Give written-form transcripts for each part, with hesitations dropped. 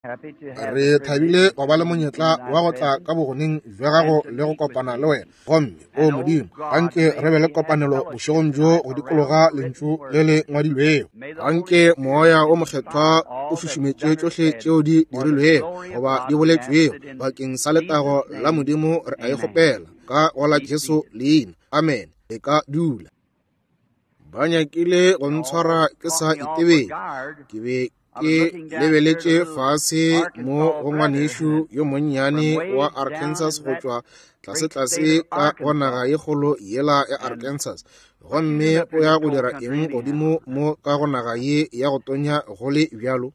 Re thabile go ba le monyetla wa go tla ka bogoneng bja gago le go kopana le wena. Gomme, o Modimo, anke re be le kopanelo bošegong bjo go dikologa Lentšu le le ngwadilwego. Anke Moya wo Mokgethwa o šušumetše tšohle tšeo di dirilwego goba di boletšwego bakeng sa letago la Modimo. Re a e kgopela ka go la Jesu leina. Amene. E ka dula. Ba nyakile go ntshwara ke sa itebele. Ke be ke lebeletše fase mo go ngwanešu yo monnyane wa Arkansas go tšwa tlasetlase ka go naga ye kgolo yela ya Arkansas. Gomme o ya go dira eng godimo mo ka go naga ye ya go tonya go le bjalo?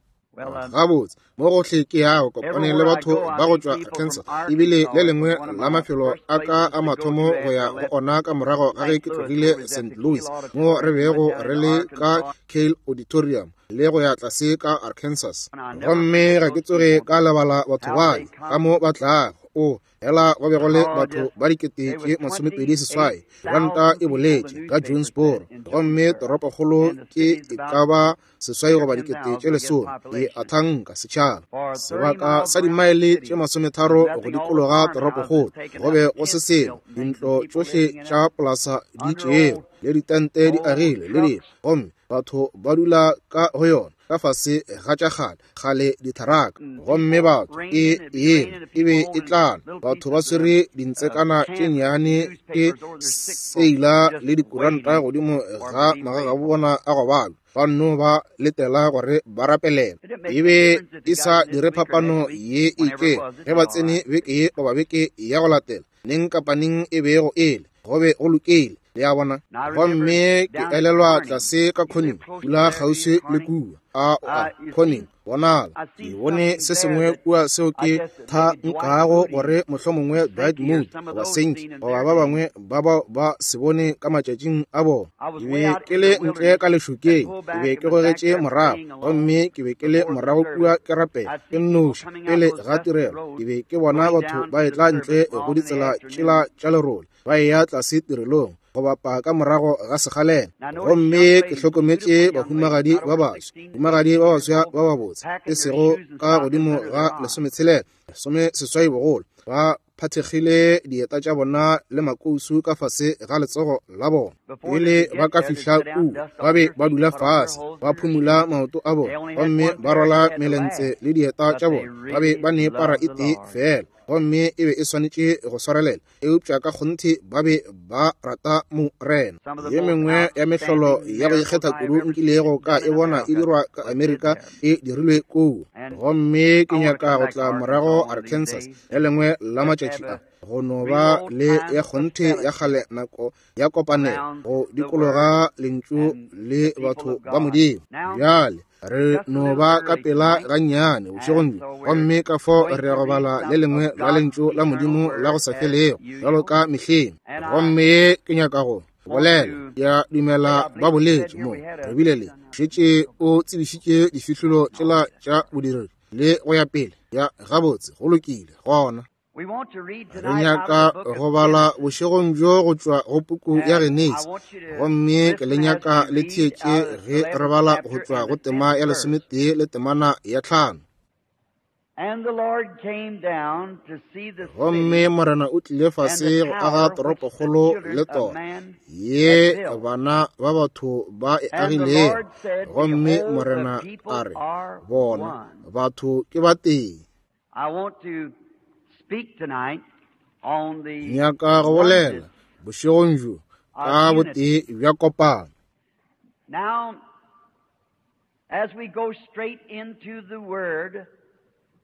Gabotse, mo gohle ke yago kopane le batho ba go tšwa Arkansas, ebile le lengwe la mafelo a ka a mathomo go ya go ona ka morago ga ge ke tlogile St. Louis, mo re bego re le ka Cale Auditorium le go ya tlase ka Arkansas. Gomme ga ke tsoge ka lebala batho bale ka mo ba tlago. O, hela go be go le batho ba dikete tše 28, ranta e boletše ka Jonesboro, gomme toropokgolo ke e ka ba 8 goba 10,000, ke a thanka, setšhaba. Sebaka sa dimaele tše 30 go dikologa toropokgolo, go be go se selo, dintlo tšohle tša polasa di tšerwe, le ditente di agilwe, le dilo, gomme batho ba dula ka go yona ka fase ga tša kgale kgale ditharaka. Gomme batho e ena e be e tlala, batho ba swere dintsekana tše nnyane ke seila le dikuranta godimo ga magagabo bona a go balwa, ba nno ba letela gore ba rapelele. E be e sa dire phapano ye e itšego ge ba tsene beke ye goba beke ya go latela, neng kapa neng e bego e le, go be go lokile, le a bona. Gomme ke elelwa tlase ka Corning, dula kgauswi le kua, a o a Corning, bonala ke bone se sengwe kua seo ke tha nkago gore mohlomongwe Dwight Moody goba Sankey goba ba bangwe ba bao ba se bone ka matšatšing a bona. Ke be ke le ntle ka lešokeng, ke be ke gogetše morago, gomme ke be ke le morago kua ke rapela ke nnoši pele ga tirelo. Ke be ke bona batho ba etla ntle go ditsela tšela tša lerole, ba eya tlase tirelong go bapa ka morago ga sekgalela. Gomme ke hlokometše bahumagadi ba baswa, bahumagadi ba baswa ba babotse, e sego ka godimo ga 16, 18 bogolo, ba phathegile dieta tša bona le makousu ka fase ga letsogo la bona. Pele ba ka fihla kua, ba be ba dula fase, ba phumula maoto a bona, gomme ba rwala melentse le dieta tša bona. Ba be ba ne para e tee feela, gomme e be e swanetše go swarelela, eupša ka kgonthe ba be ba rata Morena. Ye mengwe ya mehlolo ya go ikgetha kudu nkilego ka e bona e dirwa ka Amerika e dirilwe kua. Gomme ke nyaka go tla morago Arkansas le lengwe la matšatši a, go no ba le ya kgonthe ya kgale nako ya kopanelo go dikologa Lentšu le batho ba Modimo. Bjale re no ba ka pela gannyane bošegong bjo, gomme ka fao re ya go bala le lengwe la Lentšu la Modimo la go sa felego bjalo ka mehleng. Gomme ke nyaka go bolela, ke a dumela ba boletše mo, re bile le šetše o tsebišitše difihlolo tšela tša bodiredi le go ya pele. Ya, gabotse, go lokile gona. Re nyaka go bala bošegong bjo go tšwa go puku ya Genesi, gomme ke le nyaka le theetše ge re bala go tšwa go tema ya 11 le temana ya 5. Gomme Morena o tlile fase go aga toropokgolo le tora ye bana ba batho ba e agilego. Gomme Morena a re, Bona, batho ke ba tee. Nyaka go bolela bošegong bjo ka botee bja kopano. Now, as we go straight into the word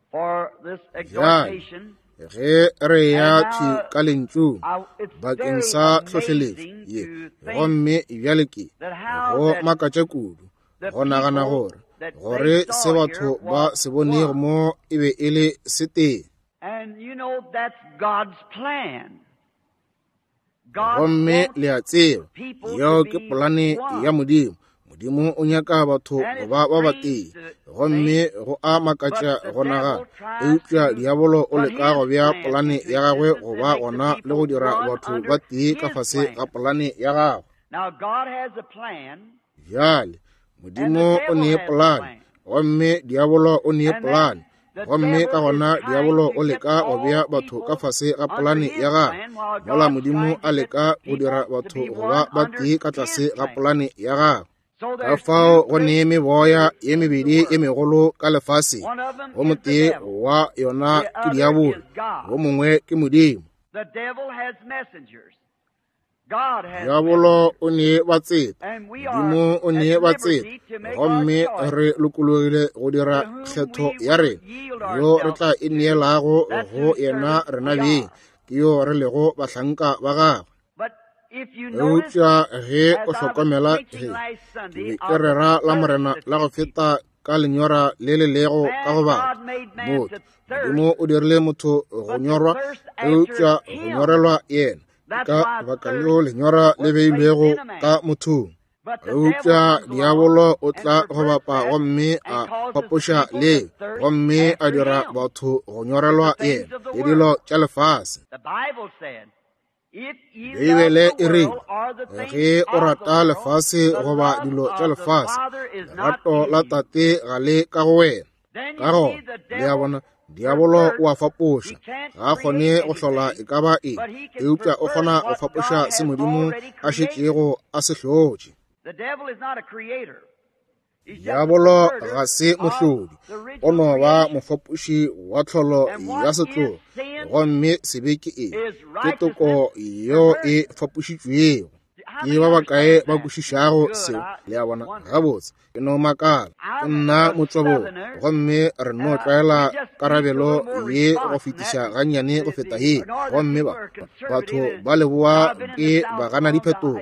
for this exhortation, ge re ya thwi ka lentšung bakeng sa tlhohleletšo ye, gomme bjale ke go makatša kudu go nagana gore gore se batho ba se bonego mo e be e le se tee. Gomme le a tseba, yeo ke polane ya Modimo. Modimo o nyaka batho go ba ba batee, gomme go a makatša go nagana, eupša diabolo o leka go bea polane ya gagwe go ba gona le go dira batho ba tee ka fase ga polane ya gagwe. Bjale, Modimo o ne polane, gomme diabolo o ne polane. Gomme ka gona diabolo o leka go bea batho ka fase ga polane ya gagwe, mola Modimo a leka go dira batho go ba ba tee ka tlase ga polane ya gagwe. Ka fao go ne meboya ye mebedi ye megolo ka lefaseng, wo motee wa yona ke diabolo, wo mongwe ke Modimo. Diabolo o ne batseta, Modimo o ne batseta, gomme re lokologile go dira kgetho ya rena, yo re tla e neelago go yena rena beng, ke yo re lego bahlanka ba gagwe. Eupša ge o hlokomela, ge ke be ke rera la Morena la go feta ka lenyora le le lego ka go batho, motho, Modimo o dirile motho go nyorwa, eupša go nyorelwa yena, ka baka leo lenyora le beilwego ka mothong. Eupša diabolo o tla go bapa gomme a fapoša leo, gomme a dira batho go nyorelwa yena le dilo tša lefase. Beibele e rile, ge o rata lefase goba dilo tša lefase, lerato la Tate ga le ka go wena. Ka gona, le a bona, diabolo o a fapoša, ga a kgone go hlola e ka ba eng, eupša o kgona go fapoša se Modimo a šetšego a se hlotše. Diabolo ga se mohlodi, o no ba mofapoši wa tlholo ya setlogo, gomme sebe ke eng? Ke toko yeo e fapošitšwego. Ke ba bakae ba kwešišago seo? Le a bona? Gabotse, ke no makala. Ke nna motšwaborwa, gomme re no tlwaela karabelo ye go fetiša gannyane go feta ye. Gomme ba batho ba leboa ke ba gana diphetogo,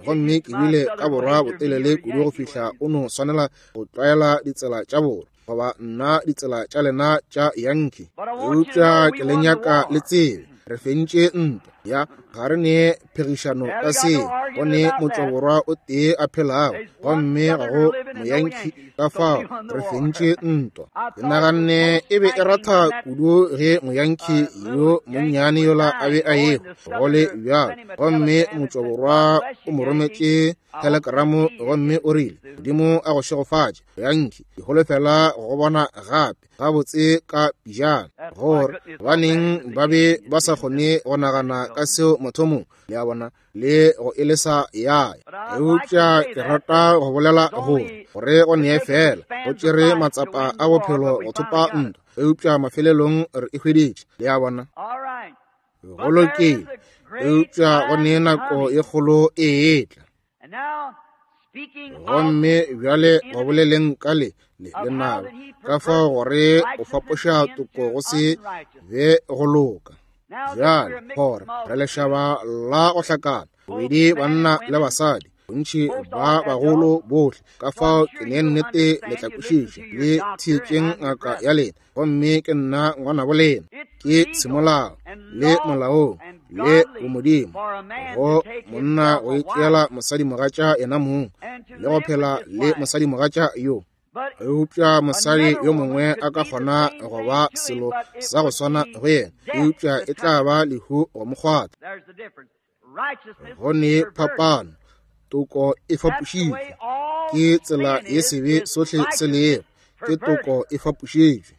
gomme ke bile ka borwa botelele kudu go fihla o no swanela go tlwaela ditsela tša borwa, goba nna ditsela tša lena tša Yankee. Eupša ke le nyaka le tsebe, re fentše ntwa ya ga re ne phegišano ka seo. Go ne motšwaborwa o tee a phelago, gomme ga go Moyankee, ka fao re fentše ntwa. Ke naganne e be e ratha kudu ge Moyankee yo monnyane yola a be a ehwa, go le bjalo, gomme motšwaborwa o mo rometše telegramo gomme o rile, Modimo a go šegofatše, Yankee, ke holofela go go bona gape gabotse ka pijana. Gore gobaneng ba be ba sa kgone go nagana ka seo mathomong, le a bona, le go e lesa ya ya. Eupša ke rata go bolela gore gore go nee fela go tšere matsapa a bophelo go thopa ntwa, eupša mafelelong re e hweditše, le a bona. Go lokile, eupša go nee nako ye kgolo e etla. Gomme bjale go boleleng ka le le lenaba, ka fao gore o fapoša toko go se be go loka. Bjale gore re lešaba la go hlakana, bobedi banna le basadi, bontši ba bagolo bohle, ka fao ke ne nnete le tla kwešiša le theetšeng ngaka ya lena, gomme ke nna ngwanabo lena, ke semolao le molaong le bomodimo go monna go itšeela mosadimogatša yena mong le go phela le mosadimogatša yo. Eupša mosadi yo mongwe a ka kgona go ba selo sa go swana go yena, eupša e tla ba lehu go mo kgwatha. Go ne phapano, toko e fapošitšwe. Ke tsela ye sebe sohle se lego, ke toko e fapošitšwe.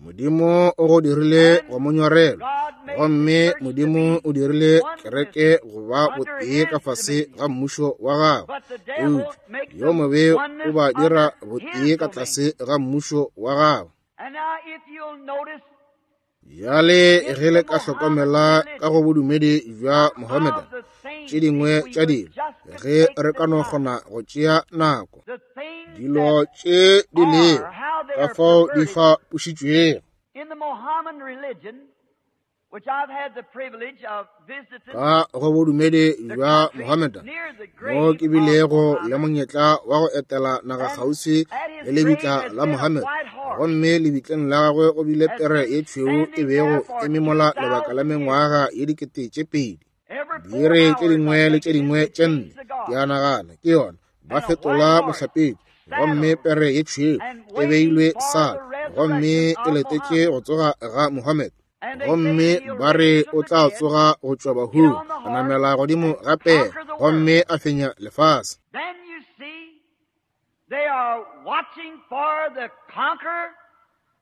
Modimo o go dirile go mo nyorelwa, gomme Modimo o dirile kereke go ba botee ka fase ga mmušo wa gagwe, eupša yo mobe o ba dira botee ka tlase ga mmušo wa gagwe. Bjale ge le ka hlokomela ka go bodumedi bja Mohammedan, tše dingwe tša dilo, ge re ka no kgona go tšea nako, dilo tše di lego ka fao di fapošitšwego. Ka go bodumedi bja Mohammedan, mo ke bilego le monyetla wa go etela naga kgauswi le lebitla la Mohammed, gomme lebitleng la gagwe go bile pere ye tšhweu e bego e memola lebaka la mengwaga ye 2000. Diiri tše dingwe le tše dingwe tše nne, ke a nagana ke yona, ba fetola mohlapetši, gomme pere ye tšhweu e beilwe sala, gomme e letetše go tsoga ga Mohammed. Gomme ba re o tla tsoga go tšwa bahung, a namela godimo ga pere, gomme a fenya lefase. They are watching for the conqueror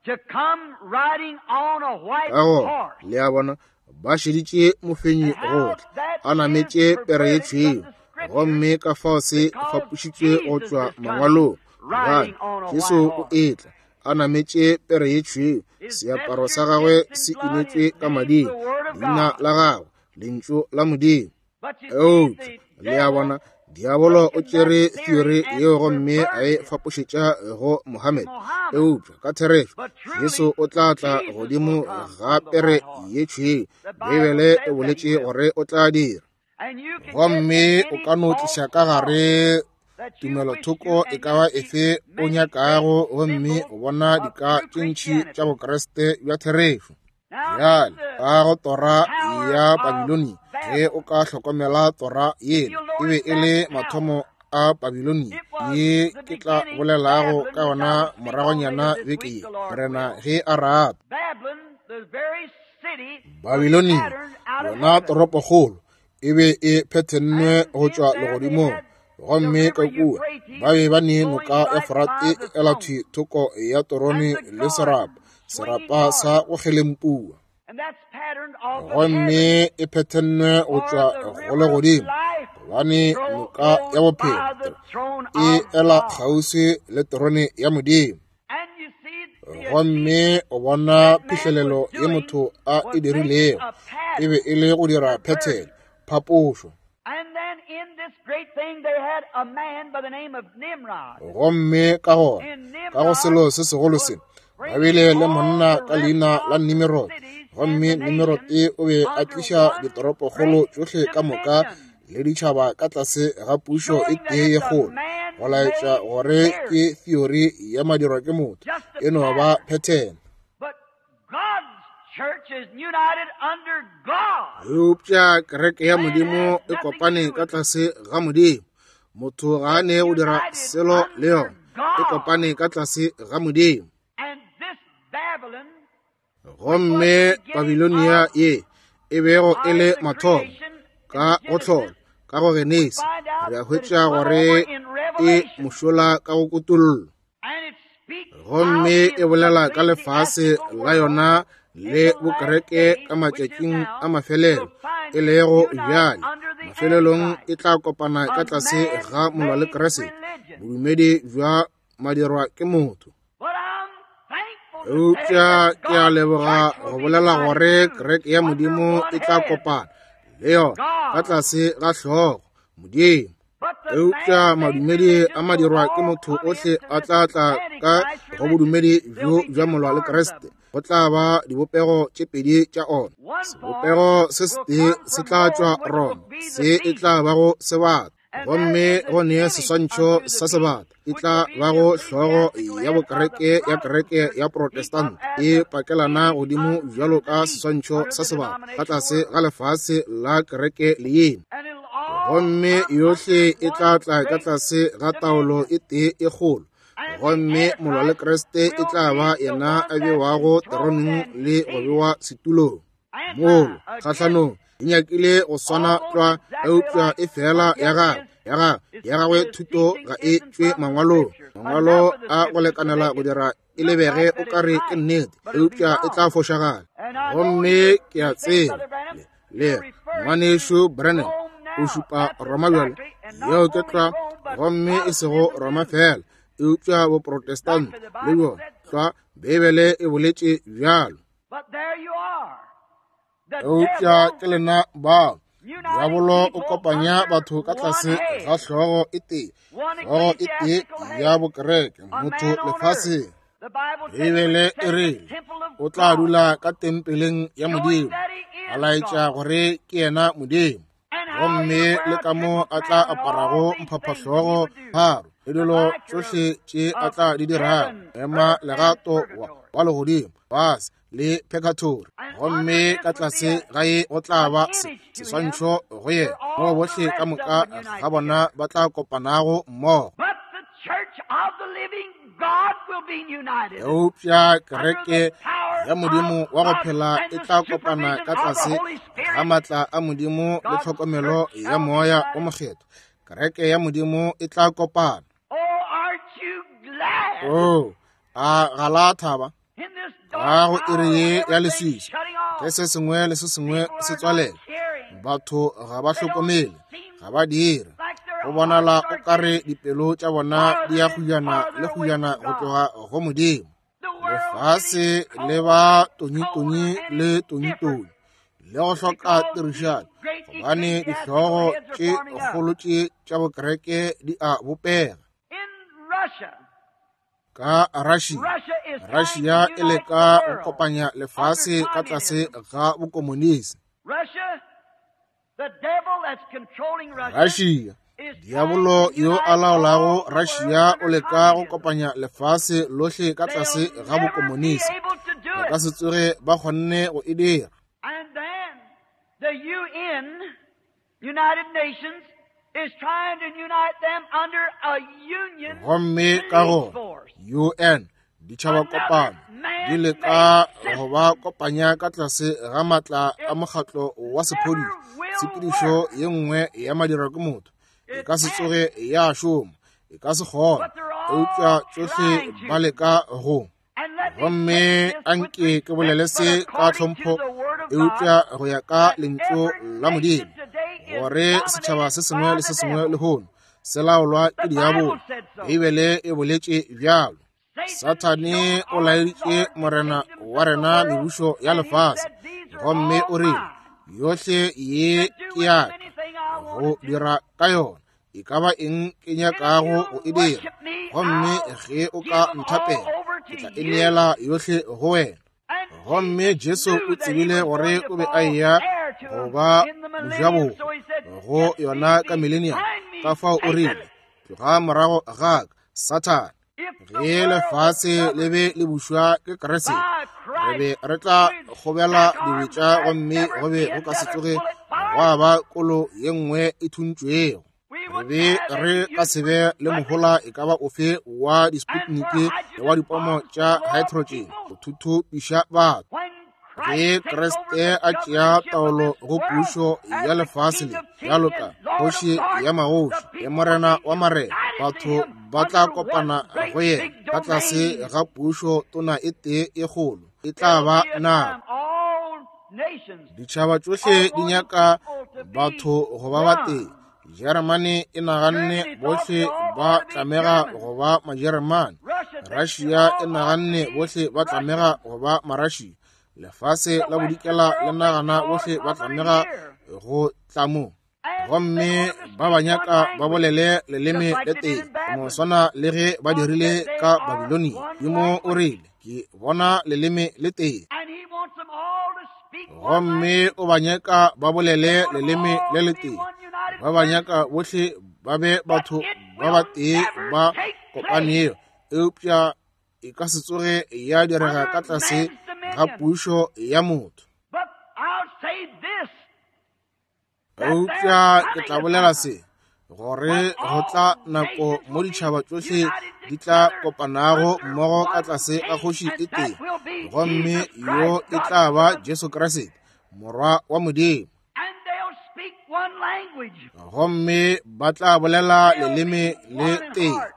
to come riding on a white Ka gona, horse. le a bona, ba šeditše mofenyi go tla, a nametše pere ye tšhweu, gomme ka fao se fapošitšwe go tšwa mangwalong, gobane Jesu o etla a nametše pere ye tšhweu, seaparo sa gagwe se inetšwe ka mading, leina la gagwe, Lentšu la Modimo. Eupša, le a bona, diabolo o tšere theory yeo gomme a e fapošetša go Mohammed. Eupša ka therešo, Jesu o tla tla godimo ga pere ye tšhweu. Beibele e boletše gore o tla dira. Gomme o ka no tliša ka gare tumelothoko e ka ba efe o nyakago, gomme o bona dika tše ntši tša Bokriste bja therešo. Bjale, ka go tora ya Babilonia, ge o ka hlokomela tora yela, e be e le mathomo a Babilonia, ye ke tla bolelago ka yona moragonyana beke ye, Morena ge a rata. Babilonia, yona toropokgolo, e be e phethennwe go tšwa legodimong, gomme ka kua ba be ba ne noka ya Forate e ela thwi thoko ya torone le serapa, serapa sa go kgelempua. Gomme e phethennwe go tšwa go legodimo, gobane noka ya bophelo e ela kgauswi le terone ya Modimo. Gomme o bona phihlelelo ye motho a e dirilego e be e le go dira phethene, phapošo. Gomme ka gona, ka go selo se segolo se, ba bile le monna ka leina la Nimirode. Gomme Nimirode o be a tliša ditoropokgolo tšohle ka moka le ditšhaba ka tlase ga pušo e tee ye kgolo, go laetša gore ke theory ya madirwa ke motho, e no ba phethene. Eupša kereke ya Modimo e kopane ka tlase ga Modimo. Motho ga a ne go dira selo le yona. E kopane ka tlase ga Modimo. Gomme Babilonia ye e bego e le mathomo ka go hlola, ka go Genesi, re a hwetša gore e mošola ka go kutollo. Gomme e bolela ka lefase la yona le bokereke ka matšatšing a mafelelo, e lego bjale mafelelong e tla kopana ka tlase ga molwa le Kriste, bodumedi bja madirwa ke motho. Eupša ke a leboga go bolela gore kereke ya Modimo e tla kopana le yona ka tlase ga hlogo Modimo. Eupša madumedi a madirwa ke motho ohle a tla tla ka go bodumedi bjo bja molwa le Kriste. Go tla ba dibopego tše pedi tša ona. Sebopego se setee se tla tšwa Roma, se e tla bago sebata, gomme go ne seswantšho sa sebata e tla bago hlogo ya bokereke ya kereke ya Protestant, e pakelana godimo bjalo ka seswantšho sa sebata ka tlase ga lefase la kereke le yena. Gomme yohle e tla tla ka tlase ga taolo e tee e kgolo, gomme molwa le Kriste e tla ba yena a bewago teroneng le go bewa setulong. Molo kgahlanong e nyakile go swana tlwa, eupša e fela ya gagwe, ya gagwe, ya gagwe thuto ga e tšwe mangwalong. Mangwalo a go lekanela go dira e lebege o ka re ke nnete, eupša e tla fošagala. Gomme ke a tseba le ngwanešu Branham o šupa Roma bjale, yeo ke tlwa, gomme e sego Roma fela, eupša Boprotestant le bjona tlwa, Beibele e boletše bjalo. Eupša ke lena bao. Diabolo o kopanya batho ka tlase ga hlogo e tee, hlogo e tee ya bokereke, motho lefaseng. Beibele e rile o tla dula ka tempeleng ya Modimo, a laetša gore ke yena Modimo. Gomme le ka mo a tla aparago mphaphahlogo pharo le dilo tšohle tše a tla di dirago, ema legato wa legodimo, fase le purgatory, gomme ka tlase ga ye go tla ba seswantšho go yena, moo bohle ka moka ga bona ba tla kopanago mmogo. Eupša kereke ya Modimo wa go phela e tla kopana ka tlase ga maatla a Modimo le tlhokomelo ya Moya o Mokgethwa. Kereke ya Modimo e tla kopana. Oh, a ga la thaba ga go iri ye ya leswiswi, ge se sengwe le se sengwe se tswalela. Batho ga ba hlokomele, ga ba dire. Go bonala o kare dipelo tša bona di ya guyana le guyana go tloga go Modimo. Lefase le ba tonyitonyi le tonyitonyi le go hloka tirišano, gobane dihlogo tše kgolo tše tša bokereke di a bopega. Ka Russia, Russia e leka go kopanya lefase ka tlase ga bokomonisi. Russia, diabolo yo a laolago Russia o leka go kopanya lefase lohle ka tlase ga bokomonisi. Ba ka se tsoge ba kgonne go e dira. And then the UN, United Nations, is trying to unite them under a union Gomme ka police go force. UN, ditšhaba kopano di leka go ba kopanya ka tlase ga matla a mokgatlo wa sephodisa. Tshepedišo ye nngwe ya madira ke motho e ka se tsoge ya šoma, e ka se kgone, eupša tšohle ba leka go. And let me Gomme take this a with nke ke bolele respect, se but ka according to tlhompho, the word of eupša God, go ya ka that lentšu every la nation Modimo, today is gore setšhaba se sengwe dominated by le se the sengwe devil. lehono se laolwa ke The diabolo. Bible said so. Beibele e boletše bjalo. Satan Sathane showed o our laeditše Lord the Morena kingdoms wa of the rena world, mebušo ya and he lefase, said, These are gomme all o rile, mine. yohle ye To do ke with ya them ka, anything I go want to do. dira ka yona e ka ba eng ke And if nyakago you'll go e dira. worship me, Gomme I'll ge o give ka them all nthapela, over ke to tla e you. neela yohle go wena. And Gomme Jesus Jesu knew o that he tsebile was gore going to o be a fall eya heir to go him ba in the millennium, mojabohwa so he said, go Get thee yona ka millennium. behind me, Ka fao o Satan. rile, tloga morago ga ka, Sathane. If the Ge world was lefase le governed be le bušwa ke Kriste, by re be Christ, re tla we'd kgobela stack arms dibetša and gomme never go be see go ka se another tsoge bullet fired. gwa ba kolo ye nngwe e thuntšwego. We Re wouldn't be have re any ka use se for be le Sputnik mohola e ka ba ofe wa and for di-Sputnik le wa hydrogen dipomo bombs to tša blow up hydrogen people. go thuthupiša batho. When Ge Christ takes over Kriste the a tšea governorship of taolo this go world pušo as ya the lefase King le, of Kings bjalo ka and Lord of kgoši Lords, ya the magoši le people will morena be wa marena, united to batho him ba tla under one kopana great go yena big ka tlase domain. ga pušo tona e tee e kgolo. E tla There'll ba be a nako. time all nations Ditšhaba are tšohle di wanting nyaka people to be batho go ba ba tee. one. Jeremane e naganne Germany thought bohle they all ba ought to be tlamega Germans. go ba Majeremane. Russia thinks they Russia e all ought to naganne be bohle ba tlamega Russians. go ba Marašia. Lefase The la Western bodikela le world thinks nagana they ought to bohle ba come under tlamega here. go tla mo. And they Gomme want them to ba ba speak one nyaka ba language, bolele leleme just like le they did tee, in go no Babylon. swana le ge ba God dirile said they ka are Babilonia. one Modimo o language. rile, ke bona leleme le tee. And he wants them all to speak one Gomme language. o ba nyaka ba bolele They want them leleme all le to le be tee. one united Ba ba nyaka person. bohle ba be But batho it ba ba will tee never ba take place kopanego, eupša e ka se tsoge ya direga under ka tlase man's ga dominion. pušo ya motho. But I'll say this, that there's Eupša ke coming tla a bolela time se, gore when go tla all nako nations mo will be ditšhaba tšohle united di tla together kopanago under mmogo ka one tlase ga king, kgoši e and tee, that will be gomme Jesus yo Christ, e tla God's ba Son. Jesu Kriste, Morwa wa Modimo. And they'll speak one language. Gomme ba tla bolela They'll leleme be le one in tee, heart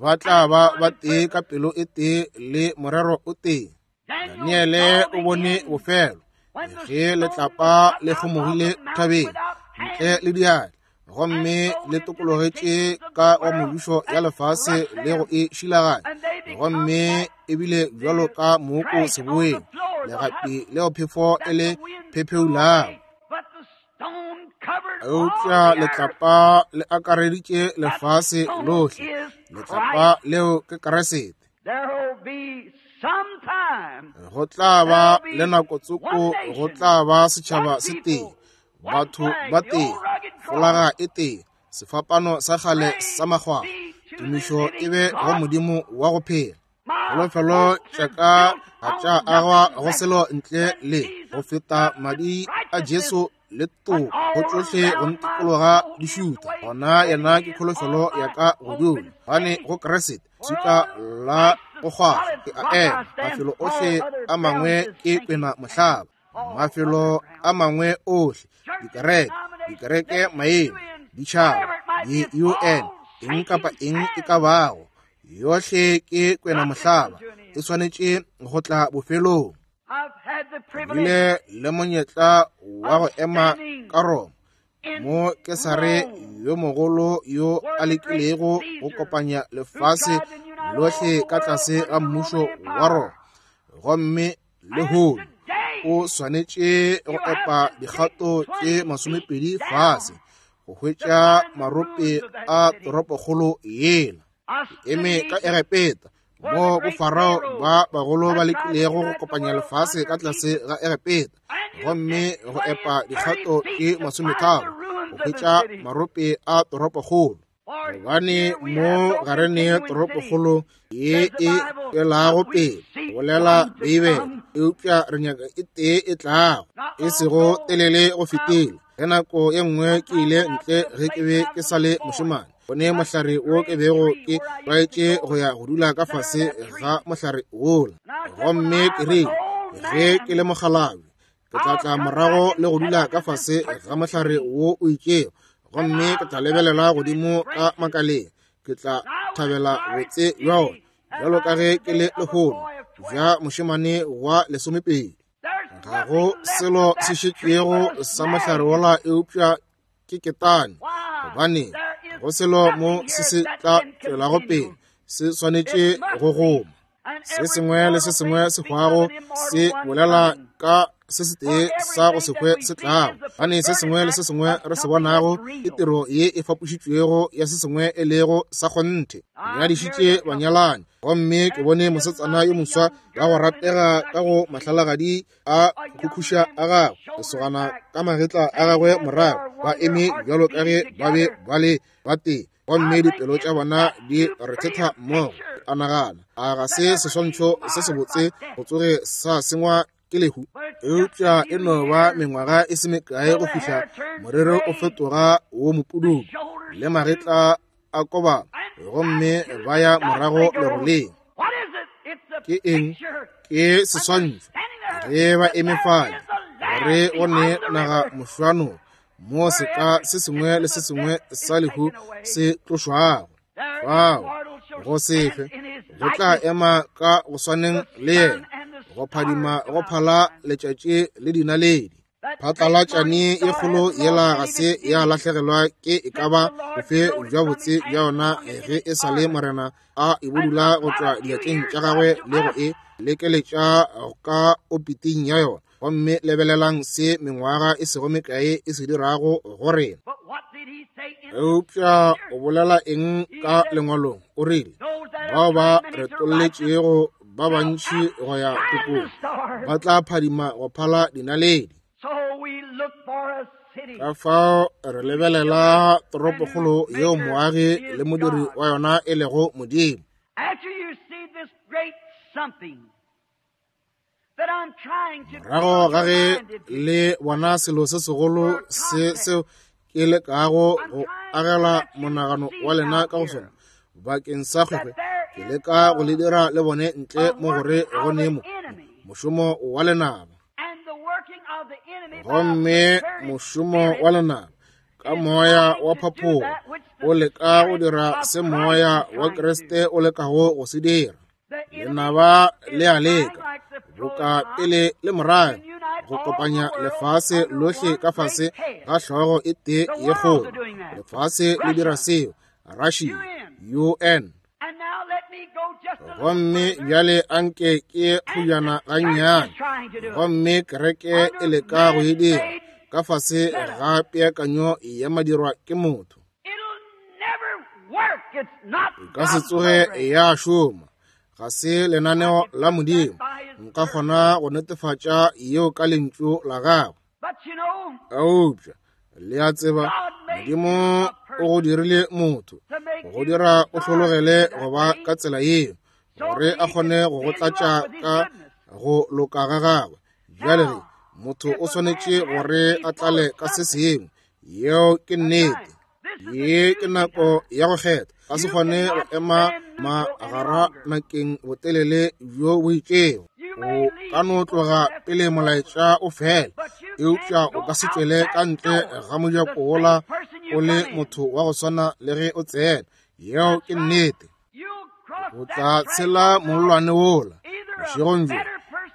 ba tla and ba one ba in tee ka purpose. pelo e tee le morero o tee. Daniel Daniele saw o the bone end bofelo when the ge stone was letlapa cut le out of kgomogile the mountain thabeng without ntle hands le diatla, and gomme flowed le into the tokologetše kingdoms of ka the wa world mebušo ya and lefase crushed le go them. e šilaganya, And they become gomme like ebile bjalo the ka mooko trash on the seboeng, floor, the legapi husk leo phefo e that le the wind blew phepheulago. away. But the stone covered all Eupša the earth. letlapa le akareditše That lefase stone lohle. is Letlapa Christ. leo ke Kriste. There'll be some time, Go tla ba there'll le be nako one tsoko, go nation, tla ba setšhaba one se tee, people, one batho flag, ba the tee, old rugged cross. folaga e tee, sefapano sa kgale sa Praise makgwakgwa. be to the Tumišo e living be go God. Modimo wa go phela. My Kholofelo hopes tša is ka built ga tša on agwa nothing go less selo ntle than le go Jesus' feta blood and madi a righteousness. Jesu le When toka go all tšohle go around my ntikologa soul di gives šutha. way, Gona then yena he ke is kholofelo all ya my ka hope godimo, and gobane faith. go Kriste For swika on la Christ go the kgwahla solid ke a rock I ema. stand, Mafelo all ohle other a ground mangwe is ke sinking kwena sand. mohlaba. All other Mafelo a ground. mangwe ohle, Churches, dikereke, denominations, dikereke nations, maemo, UN, ditšhaba, whatever it might be, it's di-UN, all eng kapa sinking eng e ka sand. bago, Yohle ke kwenamohlaba, e swanetše go tla bofelong. Bile le monyetla wa go ema ka Roma, mo Kesare yo mogolo yo a lekilego go kopanya lefase lohle ka tlase ga mmušo wa Roma. Gomme lehono o swanetše go epa dikgato tše 20 fase go hwetša marope a toropokgolo yela. Ke eme ka Egepeta, mo bofarao ba bagolo ba lekilego go kopanya lefase ka tlase ga Egepeta, gomme go epa dikgato tše 30 go hwetša marope a toropokgolo. Gobane mo ga re ne toropokgolo ye e tšwelago pele, bolela Beibele, eupša re nyaka e tee e tlago, e sego telele go fetile. Ge nako ye nngwe ke ile ntle ge ke be ke sa le mošemane, go ne mohlare wo ke bego ke tlwaetše go ya go dula ka fase ga mohlare wola. Gomme ke rile, ge ke le mokgalabje, ke tla tla morago le go dula ka fase ga mohlare wo o itšego, gomme ke tla lebelela godimo ka makaleng, ke tla thabela botse bja ona, bjalo ka ge ke le lehono bja mošemane wa 12. Ga go selo se šetšego sa mohlare wola eupša ke ketane, gobane go selo mo se se tla tšwelago pele, se swanetše go goma. Se sengwe le se sengwe se hwago se bolela ka se setee sa go se hwe se tlago, gobane se sengwe le se sengwe re se bonago ke tiro ye e fapošitšwego ya se sengwe e lego sa kgonthe. Nyadišitše banyalani, gomme ke bone mosetsana yo moswa wa go ratega ka go mahlalagadi a khukhuša a gagwe, lesogana ka magetla a gagwe morago, ba eme bjalo ka ge ba be ba le ba tee, gomme dipelo tša bona di rethetha mmogo. A nagana, a ga se seswantšho se sebotse go tsoge sa sengwa ke lehu? Eupša e no ba mengwaga e se mekae go fihla morero o fetoga wo mopududu le magetla a kobana, gomme ba ya morago leroleng. Ke eng? Ke seswantšho. Ge ba eme fale, gore go ne naga mošwano mo seka se sengwe le se sengwe sa lehu se tlošwago, fao go sefe go tla ema ka go swaneng le yena, go phadima go phala letšatši le dinaledi. Phatlalatšane e kgolo yela ga se ya lahlegelwa ke e ka ba bofe bja botse bja yona ge e sa le Morena a e bodula go tšwa diatleng tša gagwe le go e lekeletša ka opiting ya yona. Gomme lebelelang se mengwaga e sego mekae e se dirago go rena. Eupša o bolela eng ka lengwalong? O rile, bao ba retolletšego ba bantši go ya tokong ba tla phadima go phala dinaledi. Ka fao re lebelela toropokgolo yeo moagi le modiri wa yona e lego Modimo. Morago ga ge le bona selo se segolo se seo ke lekago go agela monagano wa lena ka go sona bakeng sa kgwekgwe, ke leka go le dira le bone ntle mo gore go ne mo mošomo wa lenaba. Gomme mošomo wa lenaba ka moya wa phaphogo o leka go dira se moya wa Kriste o lekago go se dira. Lenaba le a leka boka pele le morago go kopanya lefase lohle ka fase ga hlogo e tee ye kgolo. Lefase le dira seo, Russia, UN. Gomme bjale anke ke kgojana gannyane, gomme kereke e leka go e dira ka fase ga peakanyo ya madirwa ke motho. E ka se tsoge ya šoma, ga se lenaneo la Modimo. Nka kgona go netefatša yeo ka lentšu la gagwe. Eupša le a tseba, Modimo o go dirile motho, go dira o hlologele go ba ka tsela yeo, gore a kgone go go tlatša ka go loka ga gagwe. Bjale ge motho o swanetše gore a tlale ka se sengwe, yeo ke nnete. Ye ke nako ya go kgetha. Ka se kgone go ema magara nakeng botelele bjo bo itšego. O ka no tloga pele molaetša o fela, eupša o ka se tšwele ka ntle ga mojako wola o le motho wa go swana le ge o tsena. Yeo ke nnete. O tla tshela mollwane wola bošegong bjo,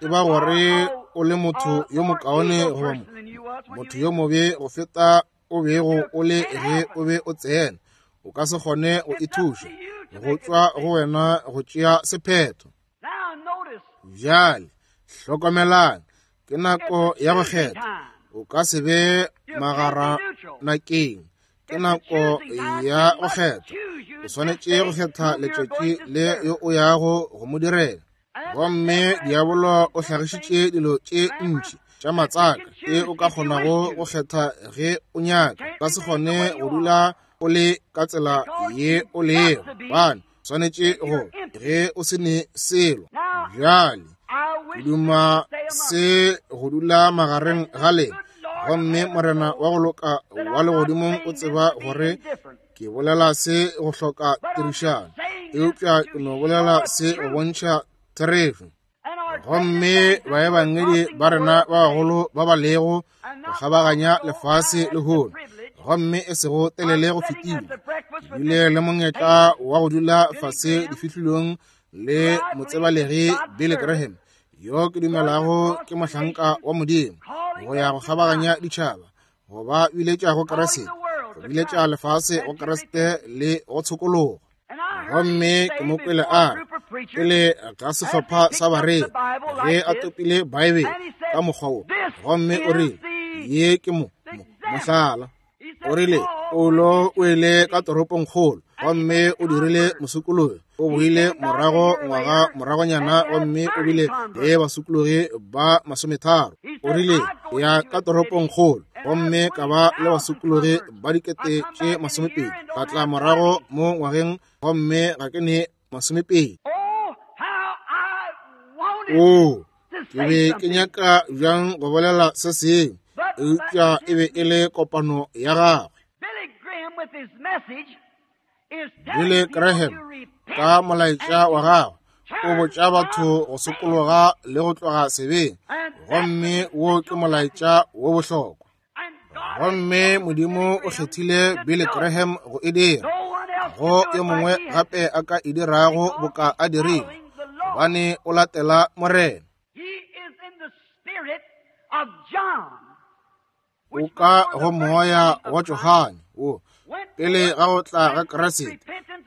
e ba gore o le motho yo mokaone goba motho yo mobe go feta o bego o le ge o be o tsena. O ka se kgone go ithuša, go tšwa go wena go tšea sephetho. Bjale hlokomelang, ke nako ya go kgetha. O ka se be magaranakeng. Ke nako ya go kgetha. O swanetše go kgetha letšatši le yo o yago go mo direla. Gomme diabolo o hlagišitše dilo tše ntši tša matsaka e o ka kgonago go kgetha ge o nyaka. O ka se kgone go dula o le ka tsela ye o lego, gobane swanetše go ge o se ne selo. Bjale ke duma se go dula magareng ga lena, gomme Morena wa go loka wa legodimong o tseba gore ke bolela se go hloka tirišano, eupša ke no bolela se go bontšha therešo. Gomme baebangedi ba rena ba bagolo ba ba lego go kgabaganya lefase lehono, gomme e sego telele go fetile, ke bile le monyetla wa go dula fase difihlolong le motsebalegi Billy Graham, yo ke dumelago ke mohlanka wa Modimo, go ya go kgabaganya ditšhaba, go ba biletša go Kriste, go biletša lefase go Kriste le go tshokologo. Gomme ke mo kwele a re, pele ga sehlopha sa bareri, ge a topile Bibele ka mokgwa wo, gomme o rile, ye ke mohlala. O rile, Paulo o ile ka toropongkgolo, gomme o dirile mosokologi. O boile morago ngwaga moragonyana, gomme o bile le basokologi ba 30. O rile, ya ka toropongkgolo, gomme ka ba le basokologi ba 20,000. Ka tla morago mo ngwageng, gomme ga ke ne 20. Oo, ke be ke nyaka bjang go bolela se sengwe, eupša e be e le kopano ya gagwe. Billy Graham ka molaetša wa gagwe o botša batho go sokologa le go tloga sebeng, gomme wo ke molaetša wo bohlokwa. Gomme Modimo o kgethile Billy Graham go e dira, go yo mongwe gape a ka e dirago boka a dirile, gobane o latela Morena. O ka go moya wa Johane wo pele ga go tla ga Kriste,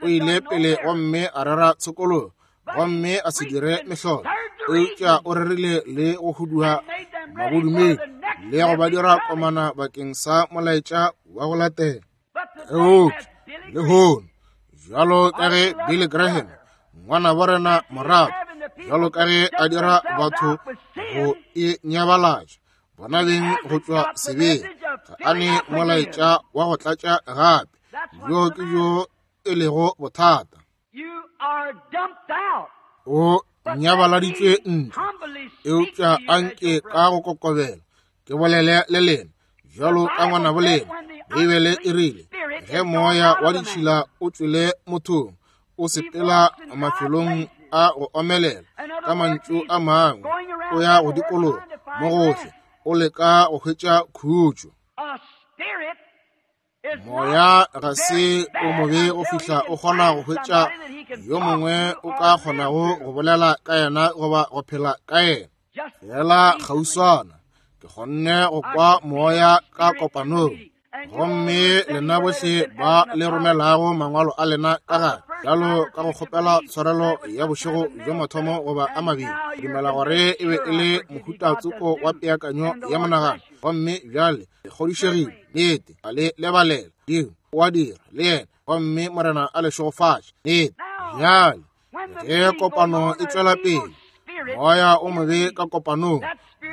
o ile pele gomme a rera tshokologo, gomme a se dire mehlolo, eupša o rerile le go huduga mabodumedi le go ba dira komana bakeng sa molaetša wa go latela. Eupša lehono, bjalo ka ge Billy Graham, ngwana wa rena morago, bjalo ka ge a dira batho go e nyabalatša bona beng go tšwa sebeng, ga a ne molaetša wa go tlatša gape. Bjo ke bjo e lego bothata. O nyabaladitšwe ntle, eupša anke ka go kokobela ke bolele le lena bjalo ka ngwana bolena. Beibele e rile, ge moya wa ditšhila o tšwele mothong, o sepela mafelong a go omelela, ka mantšu a mangwe o ya go dikologa mo gohle, o leka go hwetša khutšo. Moya ga se o mobe go fihla o kgona go hwetša yo mongwe o ka kgonago go bolela ka yena goba go phela ka yena. Fela kgauswana ke kgonne go kwa moya ka kopanong, gomme lena bohle ba le romelago mangwalo a lena ka gare, bjalo ka go kgopela tshwarelo ya bošego bjo mathomo goba a mabedi, ke dumela gore e be e le mohuta tsoko wa peakanyo ya monagano. Gomme bjale le kgodišegile, nnete, a le lebalela. Modimo o a dira le yena, gomme Morena a le šegofatše. Nnete. Bjale ge kopano e tšwela pele, moya o mobe ka kopanong,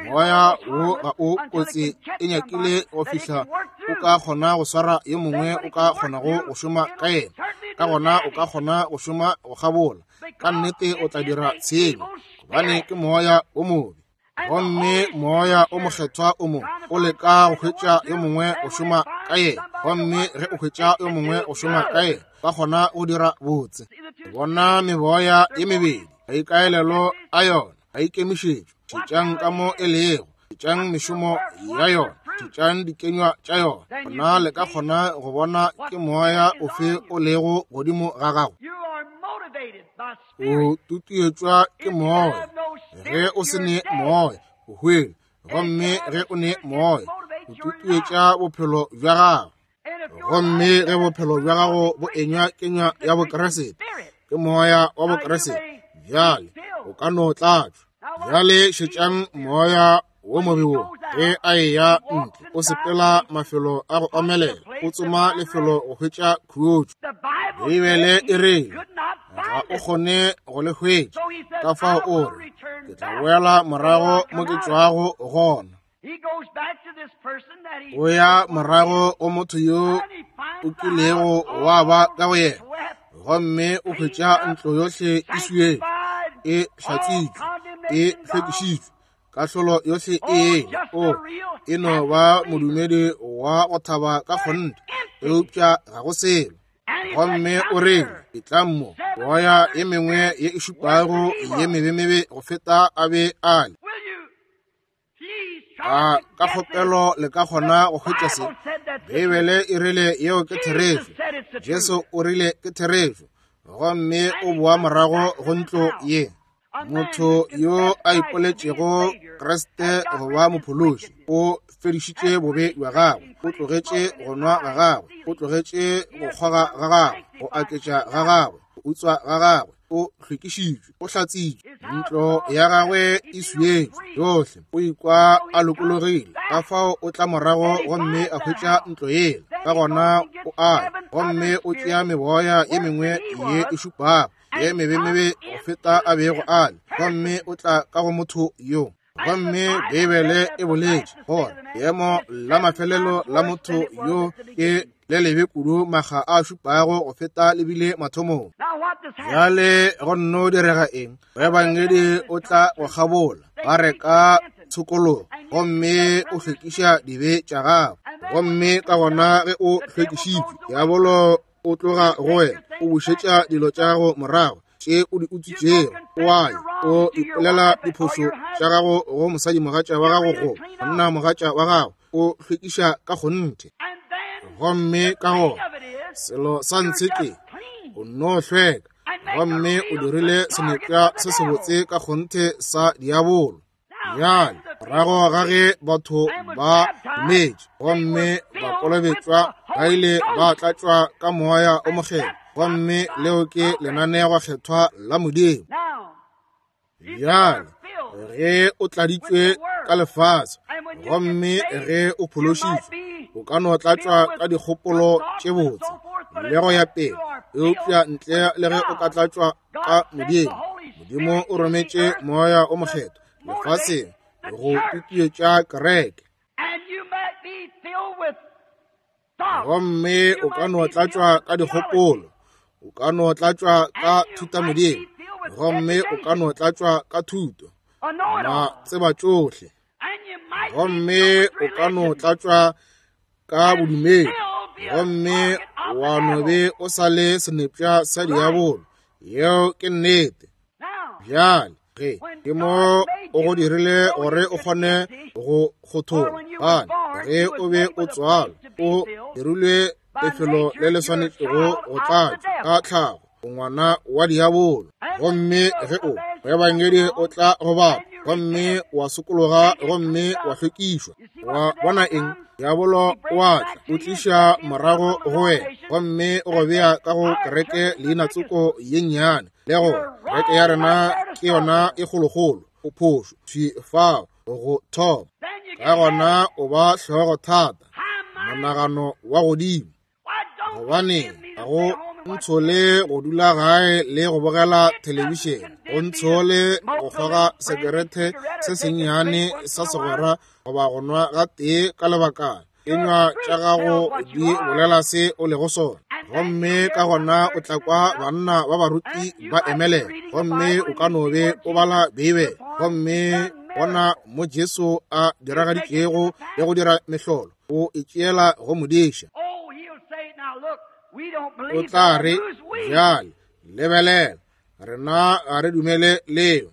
moya wo ga o kotsi e nyakile go fihla o ka kgona go swara yo mongwe o ka kgonago go šoma ka yena, ka gona o ka kgona go šoma go kgabola. Ka nnete o tla dira tshenyo, gobane ke moya o mobe. Gomme moya o mokgethwa o mo o leka go hwetša yo mongwe go šoma ka yena, gomme ge o hwetša yo mongwe go šoma ka yena, ba kgona go dira botse. Bona meboya ye mebedi, maikaelelo a yona, maikemišetšo. Šetšang ka mo e lego, šetšang mešomo ya yona. Šetšang dikenywa tša yona, gona le ka kgona go bona ke moya ofe o lego godimo ga gago. O tutuetšwa ke moya. Ge o se ne moya, o hwele. Gomme ge o ne moya, o tutuetša bophelo bja gago. Gomme ge bophelo bja gago bo enywa kenywa ya Bokriste, ke moya wa Bokriste, bjale o ka no tlatšwa. Bjale šetšang moya wo mobe wo ge a eya ntle, o sepela mafelo a go omelela, o tsoma lefelo go hwetša khutšo. Beibele e rile ga o kgone go le hwetša, ka fao o re, ke tla boela morago mo ke tšwago gona. O ya morago go motho yo o kilego wa ba ka go yena, gomme o hwetša ntlo yohle e swietšwe, e hlatswitšwe, e hlwekišitšwe, kahlolo yohle e eme. O e no ba modumedi wa go thaba ka kgonthe, eupša ga go selo. Gomme o rile, etlang mo, moya ye mengwe ye e šupago ye mebemebe go feta a be a le. A ka kgopelo le ka kgona go hwetša se? Beibele e rile yeo ke therešo. Jesu o rile ke therešo. Gomme o boa morago go ntlo ye. Motho yo a ipoletšego Kriste go ba mophološi o fedišitše bobe bja gagwe, o tlogetše go nwa ga gagwe, o tlogetše go kgoga ga gagwe, go aketša ga gagwe, go utswa ga gagwe, o hlwekišitšwe, o hlatsitšwe, ntlo ya gagwe e swietšwe yohle, o ikwa a lokologile. Ka fao o tla morago gomme a hwetša ntlo yela, ka gona o a ya gomme o tšea meboya ye mengwe ye e šupago ye mebemebe go feta a bego a le, gomme o tla ka go motho yo. Gomme Beibele e boletše gore leemo la mafelelo la motho yo ke le lebe kudu makga a šupago go feta lebile mathomong. Bjale go nno direga eng? Moebangedi o tla go kgabola, ba reka tshokologo, gomme o hlwekiša dibe tša gago. Gomme ka gona ge o hlwekišitšwe, diabolo o tloga go wena, o bušetša dilo tša gago morago tše o di utswitšego. O a ya, o ipolela diphošo tša gago go mosadimogatša wa gago go monnamogatša wa gago, o hlwekiša ka kgonthe. Gomme ka gona selo sa ntshe ke o nno hlweka, gomme o dirile senepša se sebotse ka kgonthe sa diabolo. Bjale, morago ga ge batho ba dumetše gomme ba kolobetšwa, ba ile ba tlatšwa ka moya o mokgethwa, gomme leo ke lenanegokgethwa la Modimo. Bjale, ge o tladitšwe ka lefase gomme ge o phološitšwe, o ka no tlatšwa ka dikgopolo tše botse le go ya pele, eupša ntle le ge o ka tlatšwa ka Modimo, Modimo o rometše moya o mokgethwa lefaseng go tutuetša kereke. Gomme o ka no tlatšwa ka dikgopolo, o ka no tlatšwa ka thutamodimo, gomme o ka no tlatšwa ka thuto, ma tseba tšohle, gomme o ka no tlatšwa ka bodumedi, gomme wa no be o sa le senepša sa diabolo. Yeo ke nnete. Bjale ge ke mo o go dirile gore o kgone go kgothola, gane ge o be o tswalwa o dirilwe lefelo le le swanetšego go tlatšwa ka tlhago, o ngwana wa diabolo. Gomme ge o moebangedi o tla go bapa gomme wa sokologa gomme wa hlwekišwa, wa bona eng? Diabolo o a tla, o tliša morago go wena gomme o go bea ka go kereke leina tsoko ye nnyane, le go kereke ya rena ke yona e kgolokgolo. O phošo thwi fao go thoma. Ka gona o ba hlogo thata, monagano wa godimo. Gobane ga go ntshole go dula gae le go bogela thelebišene, go ntshole go kgoga sekerete se sennyane sa segwera goba go nwa gatee ka lebakana. Kenywa tša gago di bolela se o lego sona. Gomme ka gona o tla kwa banna ba baruti ba emelela, gomme o ka no be o bala Beibele, gomme bona mo Jesu a diragaditšego le go dira mehlolo, o e tšeela go modiša. O tla re, Bjale, lebelela, rena ga re dumele leo.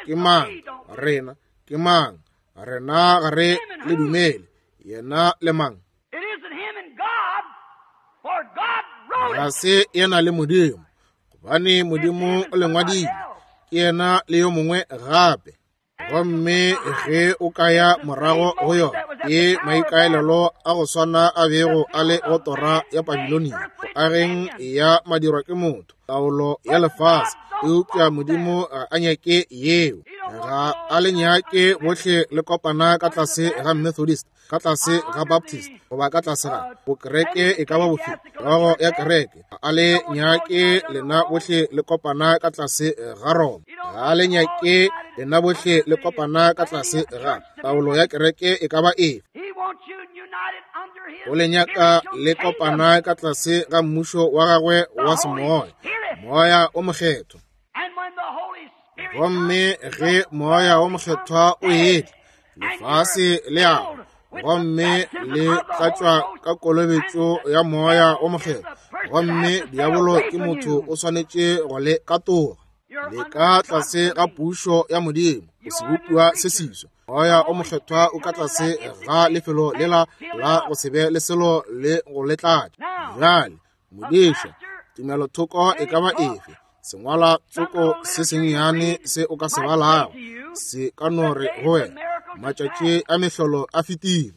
Ke mang? Rena ke mang? Rena ga re le dumele. Yena le mang? Ga se yena le Modimo, gobane Modimo o le ngwadile. Ke yena le yo mongwe gape. Gomme ge o ka ya morago go yona, ke maikaelelo a go swana a bego a le go tora ya Babilonia, go ageng ya madirwa ke motho, taolo ya lefase. Eupša Modimo ga a nyake yeo. Ga a le nyake bohle le kopana ka tlase ga Methodist, ka tlase ga Baptist, goba ka tlase ga bokereke e ka ba bofe, logo ya kereke. Ga a le nyake lena bohle le kopana ka tlase ga Roma. Ga a le nyake lena bohle le kopana ka tlase ga taolo ya kereke e ka ba efe. O le nyaka le kopana ka tlase ga mmušo wa gagwe wa semoya, Moya o Mokgethwa. Gomme ge Moya o Mokgethwa o etla, lefase le a gomme le tlatšwa ka kolobetšo ya Moya o Mokgethwa. Gomme diabolo ke motho o swanetše go le katoga. Le ka tlase ga pušo ya Modimo, o sebopiwa se seswa. Moya o Mokgethwa o ka tlase ga lefelo lela la go se be le selo le go le tlatša. Bjale, modiša, tumelothoko e ka ba efe, sengwala tsoko se sennyane se o ka se balago, se ka no re go wena, matšatši a mehlolo a fetile.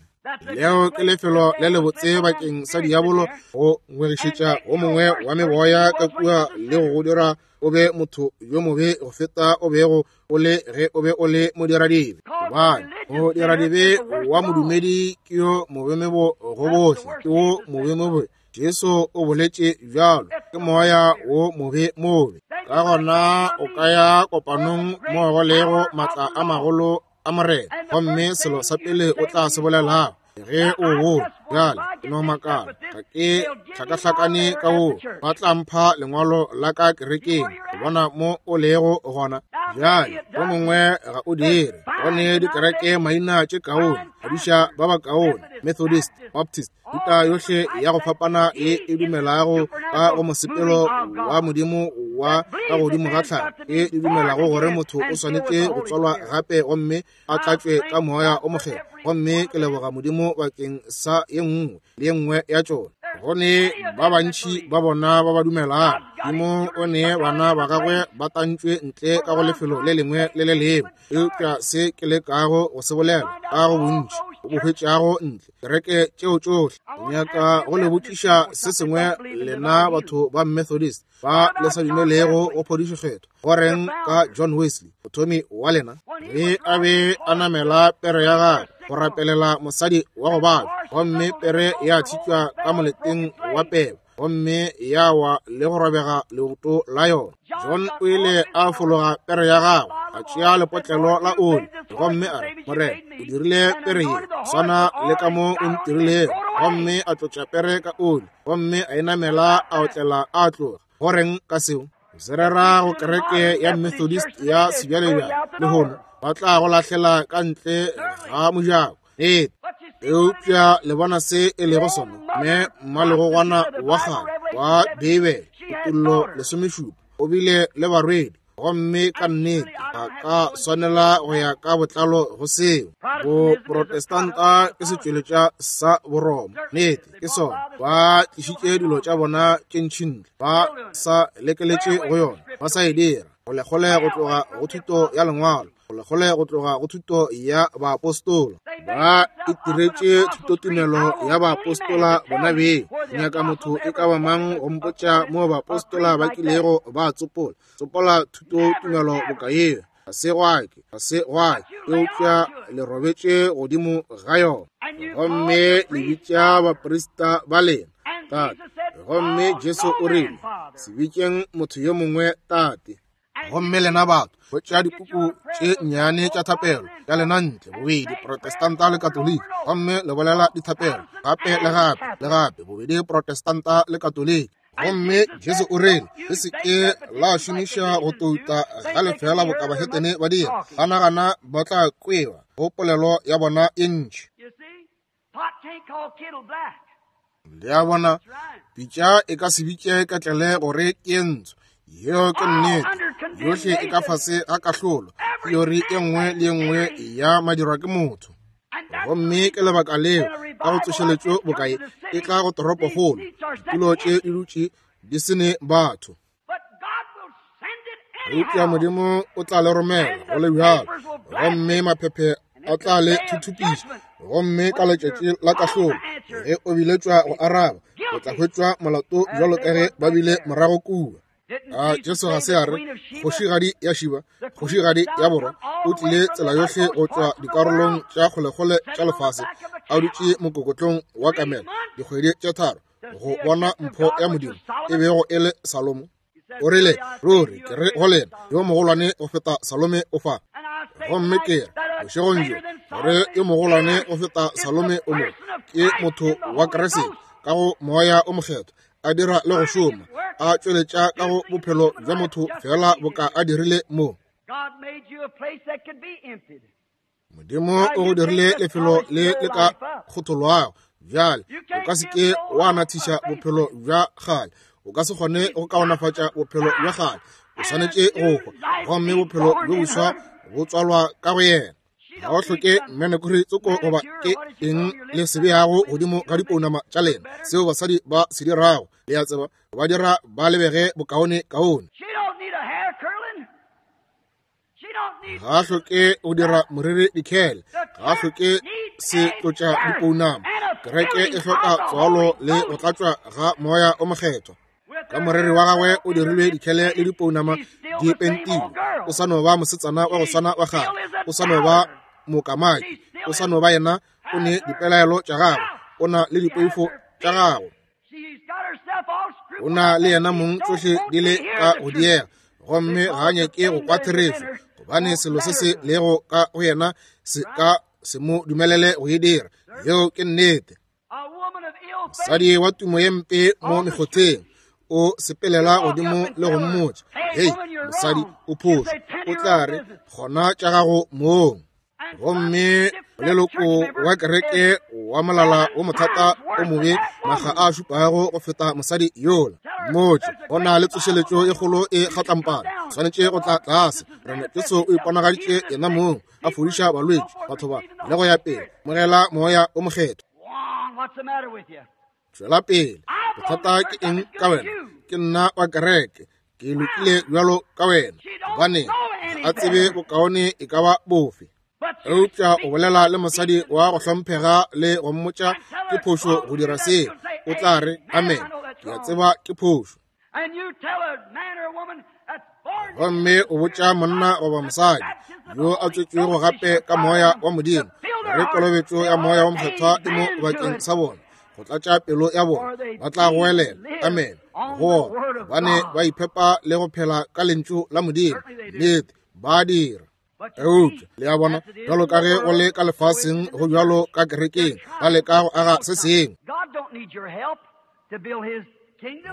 Leo ke lefelo le lebotse bakeng sa diabolo go ngwegišetša o mongwe wa meboya ka kua le go go dira o be motho yo mobe go feta o bego o le ge o be o le modiradibe. Gobane modiradibe wa modumedi ke yo mobemebo go bohle, ke wo mobemobe. Jesu o boletše bjalo, ke moya wo mobe mobe. Ka gona o ka ya kopanong mo go lego matla a magolo a Morena, gomme selo sa pele o tla se bolelago ge o wo bjale, ke no makala, ga ke hlakahlakane ka wo, ba tla mpha lengwalo la ka kerekeng go bona mo o lego gona. Bjale yo mongwe ga o dire, go ne dikereke maina tše kaone, badiša ba ba kaone, Methodist, Baptist, thuta yohle ya go fapana ye e dumelago ka go mosepelo wa Modimo wa ka godimo ga tlhago, e di dumelago gore motho o swanetše go tswalwa gape gomme a tlatšwe ka Moya o Mokgethwa. Gomme ke leboga Modimo bakeng sa ye nngwe le ye nngwe ya tšona. Go ne ba bantši ba bona ba ba dumelago. Modimo o ne bana ba gagwe ba tantšwe ntle ka go lefelo le lengwe le le lengwe. Eupša se ke lekago go se bolela ka go bontši o bo hwetšago ntle kereke tšeo tšohle. Nyaka go le botšiša se sengwe lena batho ba Methodist ba le sa dumelego go phodišo kgethwa. Go reng ka John Wesley, mothomi wa lena, ge a be a namela pere ya gagwe go rapelela mosadi wa go babja, gomme pere ya tšhitšwa ka moleteng wa peba gomme ya wa le go robega leoto la yona. John o ile a fologa pere ya gagwe, a tšea lepotlelo la oli, gomme a re, Morena, o dirile pere ye swana le ka mo o ntirilego. Gomme a tlotša pere ka oli, gomme a e namela a otlela a tloga. Go reng ka seo? Se rera go kereke ya Methodist ya sebjalebjale lehono, ba tla go lahlela ka ntle ga mojako. Nnete. Eupša le bona se e lego sona, mme mmalegogwana wa kgale wa Beibele, Kutollo 17, o bile le barwedi, gomme ka nnete ga ka swanela go ya ka botlalo go seo. Boprotestanta ke setšweletša sa Boroma, nnete ke sona. Ba tlišitše dilo tša bona tše ntši ntle, ba sa lekeletše go yona, ba sa e dira kgolekgole go tloga go thuto ya lengwalo, kgolekgole go tloga go thuto ya baapostola. Ba itiretše thutotumelo ya baapostola bona beng. Nyaka motho e ka ba mang go mpotša mo baapostola ba kilego ba tsopola tsopola thutotumelo boka yeo? Ga se gwa ke, ga se gwa ke, eupša le robetše godimo ga yona. Gomme le bitša baprista ba lena tate. Gomme Jesu o rile, se bitšeng motho yo mongwe tate. Gomme lena batho, hwetša dipuku tše nnyane tša thapelo tša lena ntle, bobedi Protestanta le Katoliki, gomme le bolela dithapelo gape le gape le gape, bobedi Protestanta le Katoliki. Gomme Jesu o rile, le se ke la šomiša go touta ga lefela boka bahetene ba dira, ba nagana ba tla kwewa go polelo ya bona e ntši. Le a bona, pitša e ka se bitše ketlele gore ke ntsho. Yeo ke nnete. Yohle e ka fase ga kahlolo, teori e nngwe le e nngwe ya madirwa ke motho. Gomme ke lebaka leo ka go tsošeletšo bokae e tla go toropokgolo, ditulo tše di dutše di se ne batho. Eupša Modimo o tla le romela go le bjalo, gomme maphephe a tla le thuthupiša. Gomme ka letšatši la kahlolo, ge o biletšwa go araba, o tla hwetšwa molato bjalo ka ge ba bile morago kua. A Jesu ga se a re, Kgošigadi ya Šiba, kgošigadi ya Borwa, o tlile tsela yohle go tšwa dikarolong tša kgolekgole tša lefase, a dutše mokokotlong wa kamela dikgwedi tše tharo, go bona mpho ya Modimo e bego e le Salomo? O rile, Ruri ke re go lena, yo mogolwane go feta Salome o fa. Gomme ke re, bošegong bjo, gore yo mogolwane go feta Salome o mo, ke motho wa Kriste, ka go Moya o Mokgethwa, a dira le go šoma, a tšweletša ka go bophelo bja motho feela boka a dirile mo. Modimo o go dirile lefelo le le ka kgotholwago. Bjale o ka se ke wa nathiša bophelo bja kgale, o ka se kgone go kaonafatša bophelo bja kgale. O swanetše go hwa, gomme bophelo bjo boswa bo tswalwa ka go yena. Ga o hloke mmenekuri tsoko goba ke eng le se beago godimo ga dipounama tša lena, seo basadi ba se dirago, le a tseba, ba dira ba lebege bokaone kaone. Ga a hloke go dira moriri dikhele, ga a hloke se tlotša dipounama. Kereke e hloka tswalo le go tlatšwa ga Moya o Mokgethwa. Ka moriri wa gagwe o dirilwe dikhele le dipounama di pentilwe, o sa no ba mosetsana wa go swana wa kgale, o sa no ba mokamaki, o sa no ba yena, o ne dipelaelo tša gagwe, o na le dipoifo tša gagwe, o na le yena mong, tšohle di le ka go diega, gomme ga a nyake go kwa therešo, gobane selo se se lego ka go yena se ka se mo dumelele go e dira. Yeo ke nnete. Mosadi wa tumo ye mpe mo mekgotheng o sepelela godimo le go mmotša, hei mosadi, o phošo. O tla re, gona tša gago mong. Gomme leloko wa kereke wa molala wo mothata o mobe maga a šupago go feta mosadi yola. Mmotše go na le tsošeletšo e kgolo e kgatlampana, swanetše go tla tlase. Morena Jesu o iponagaditše yena mong a fodiša balwetši, batho ba, le go ya pele. Mogela Moya o Mokgethwa. Tšwela pele. Bothata ke eng ka wena? Ke nna wa kereke, ke lokile bjalo ka wena. Gobane ga a tsebe bokaone e ka ba bofe. Eupša o bolela le mosadi wa go hlomphega le go mmotša ke phošo go dira seo, o tla re, amen, ke a tseba ke phošo. Gomme o botša monna goba mosadi yo a tswetšwego gape ka Moya wa Modimo gore kolobetšo ya Moya wa Mokgethwa e mo bakeng sa bona, go tlatša pelo ya bona, ba tla goelela amen go ona, gobane ba iphepa le go phela ka lentšu la Modimo. Nnete, ba dira. Eupša le a bona, bjalo ka ge go le ka lefaseng, go bjalo ka kerekeng, ba leka go aga se sengwe.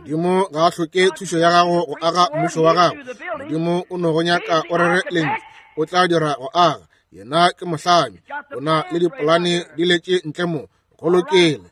Modimo ga a hloke thušo ya gago go aga mmušo wa gago. Modimo o no go nyaka o rere lentšu, o tla dira go aga. Yena ke mohlami, o na le dipolane di letše ntle mo. Go lokile.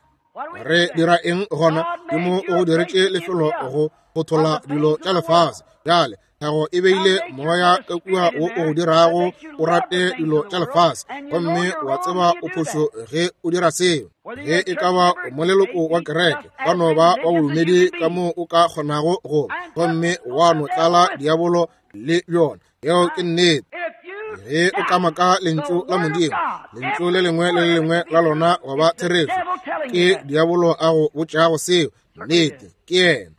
Re dira eng gona? Modimo o go diretše lefelo go go thola dilo tša lefase. Bjale tlhago e beile moya ka kua wo o go dirago o rate dilo tša lefase, gomme wa tseba o phošo ge o dira seo. Ge e ka ba o moleloko wa kereke, wa no ba wa bodumedi ka moo o ka kgonago go, gomme wa no tlala diabolo le bjona. Yeo ke nnete. Ge o kamaka lentšu la Modimo, lentšu le lengwe le le lengwe la lona wa ba therešo, ke diabolo a go botšago seo. Nnete, ke yena.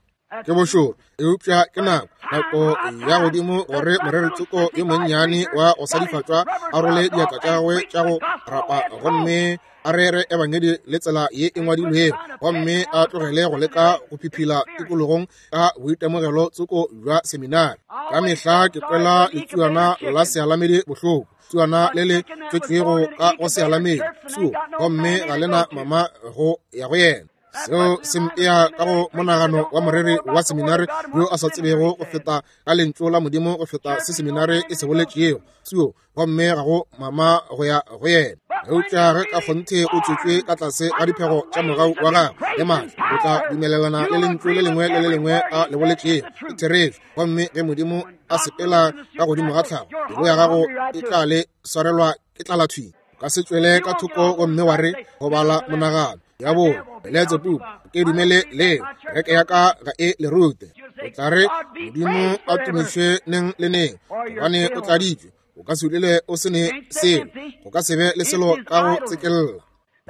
Ke bošoro, eupša ke nako, nako ya godimo gore moreritsoko yo monnyane wa go sadifatšwa a role diatla tša gagwe tša go rapa gomme a rere ebangedi le tsela ye e ngwadilwego, gomme a tlogele go leka go phiphila tikologong ka boitemogelo tsoko bja seminari. Ka mehla ke kwela letsuana la sealamedi bohloko, tsuana le le tswetšwego ka go sealamedi tsuo, gomme ga lena mama go ya go yena. Seo se mpea ka go monagano wa moreri wa seminari yo a sa tsebego go feta ka lentšu la Modimo go feta se seminari e se boletšego tsuo, gomme ga go mama go ya go yena. Eupša ge ka kgonthe o tswetšwe ka tlase ga diphego tša mogau wa gagwe le maatla, o tla dumelelana le lentšu le lengwe le le lengwe a le boletšego. Ke therešo. Gomme ge Modimo a sepela ka godimo ga tlhago, pelo ya gago e tla le swarelwa ke tlala thwi. Ka se tšwele ka thoko gomme wa re go bala monagano ya bo Beletsebubu, ke dumele leo, kereke ya ka ga e le rute. O tla re, Modimo a tumišwe neng le neng, gobane o tladitšwe. O ka se dule o se ne selo, go ka se be le selo ka go tsekella.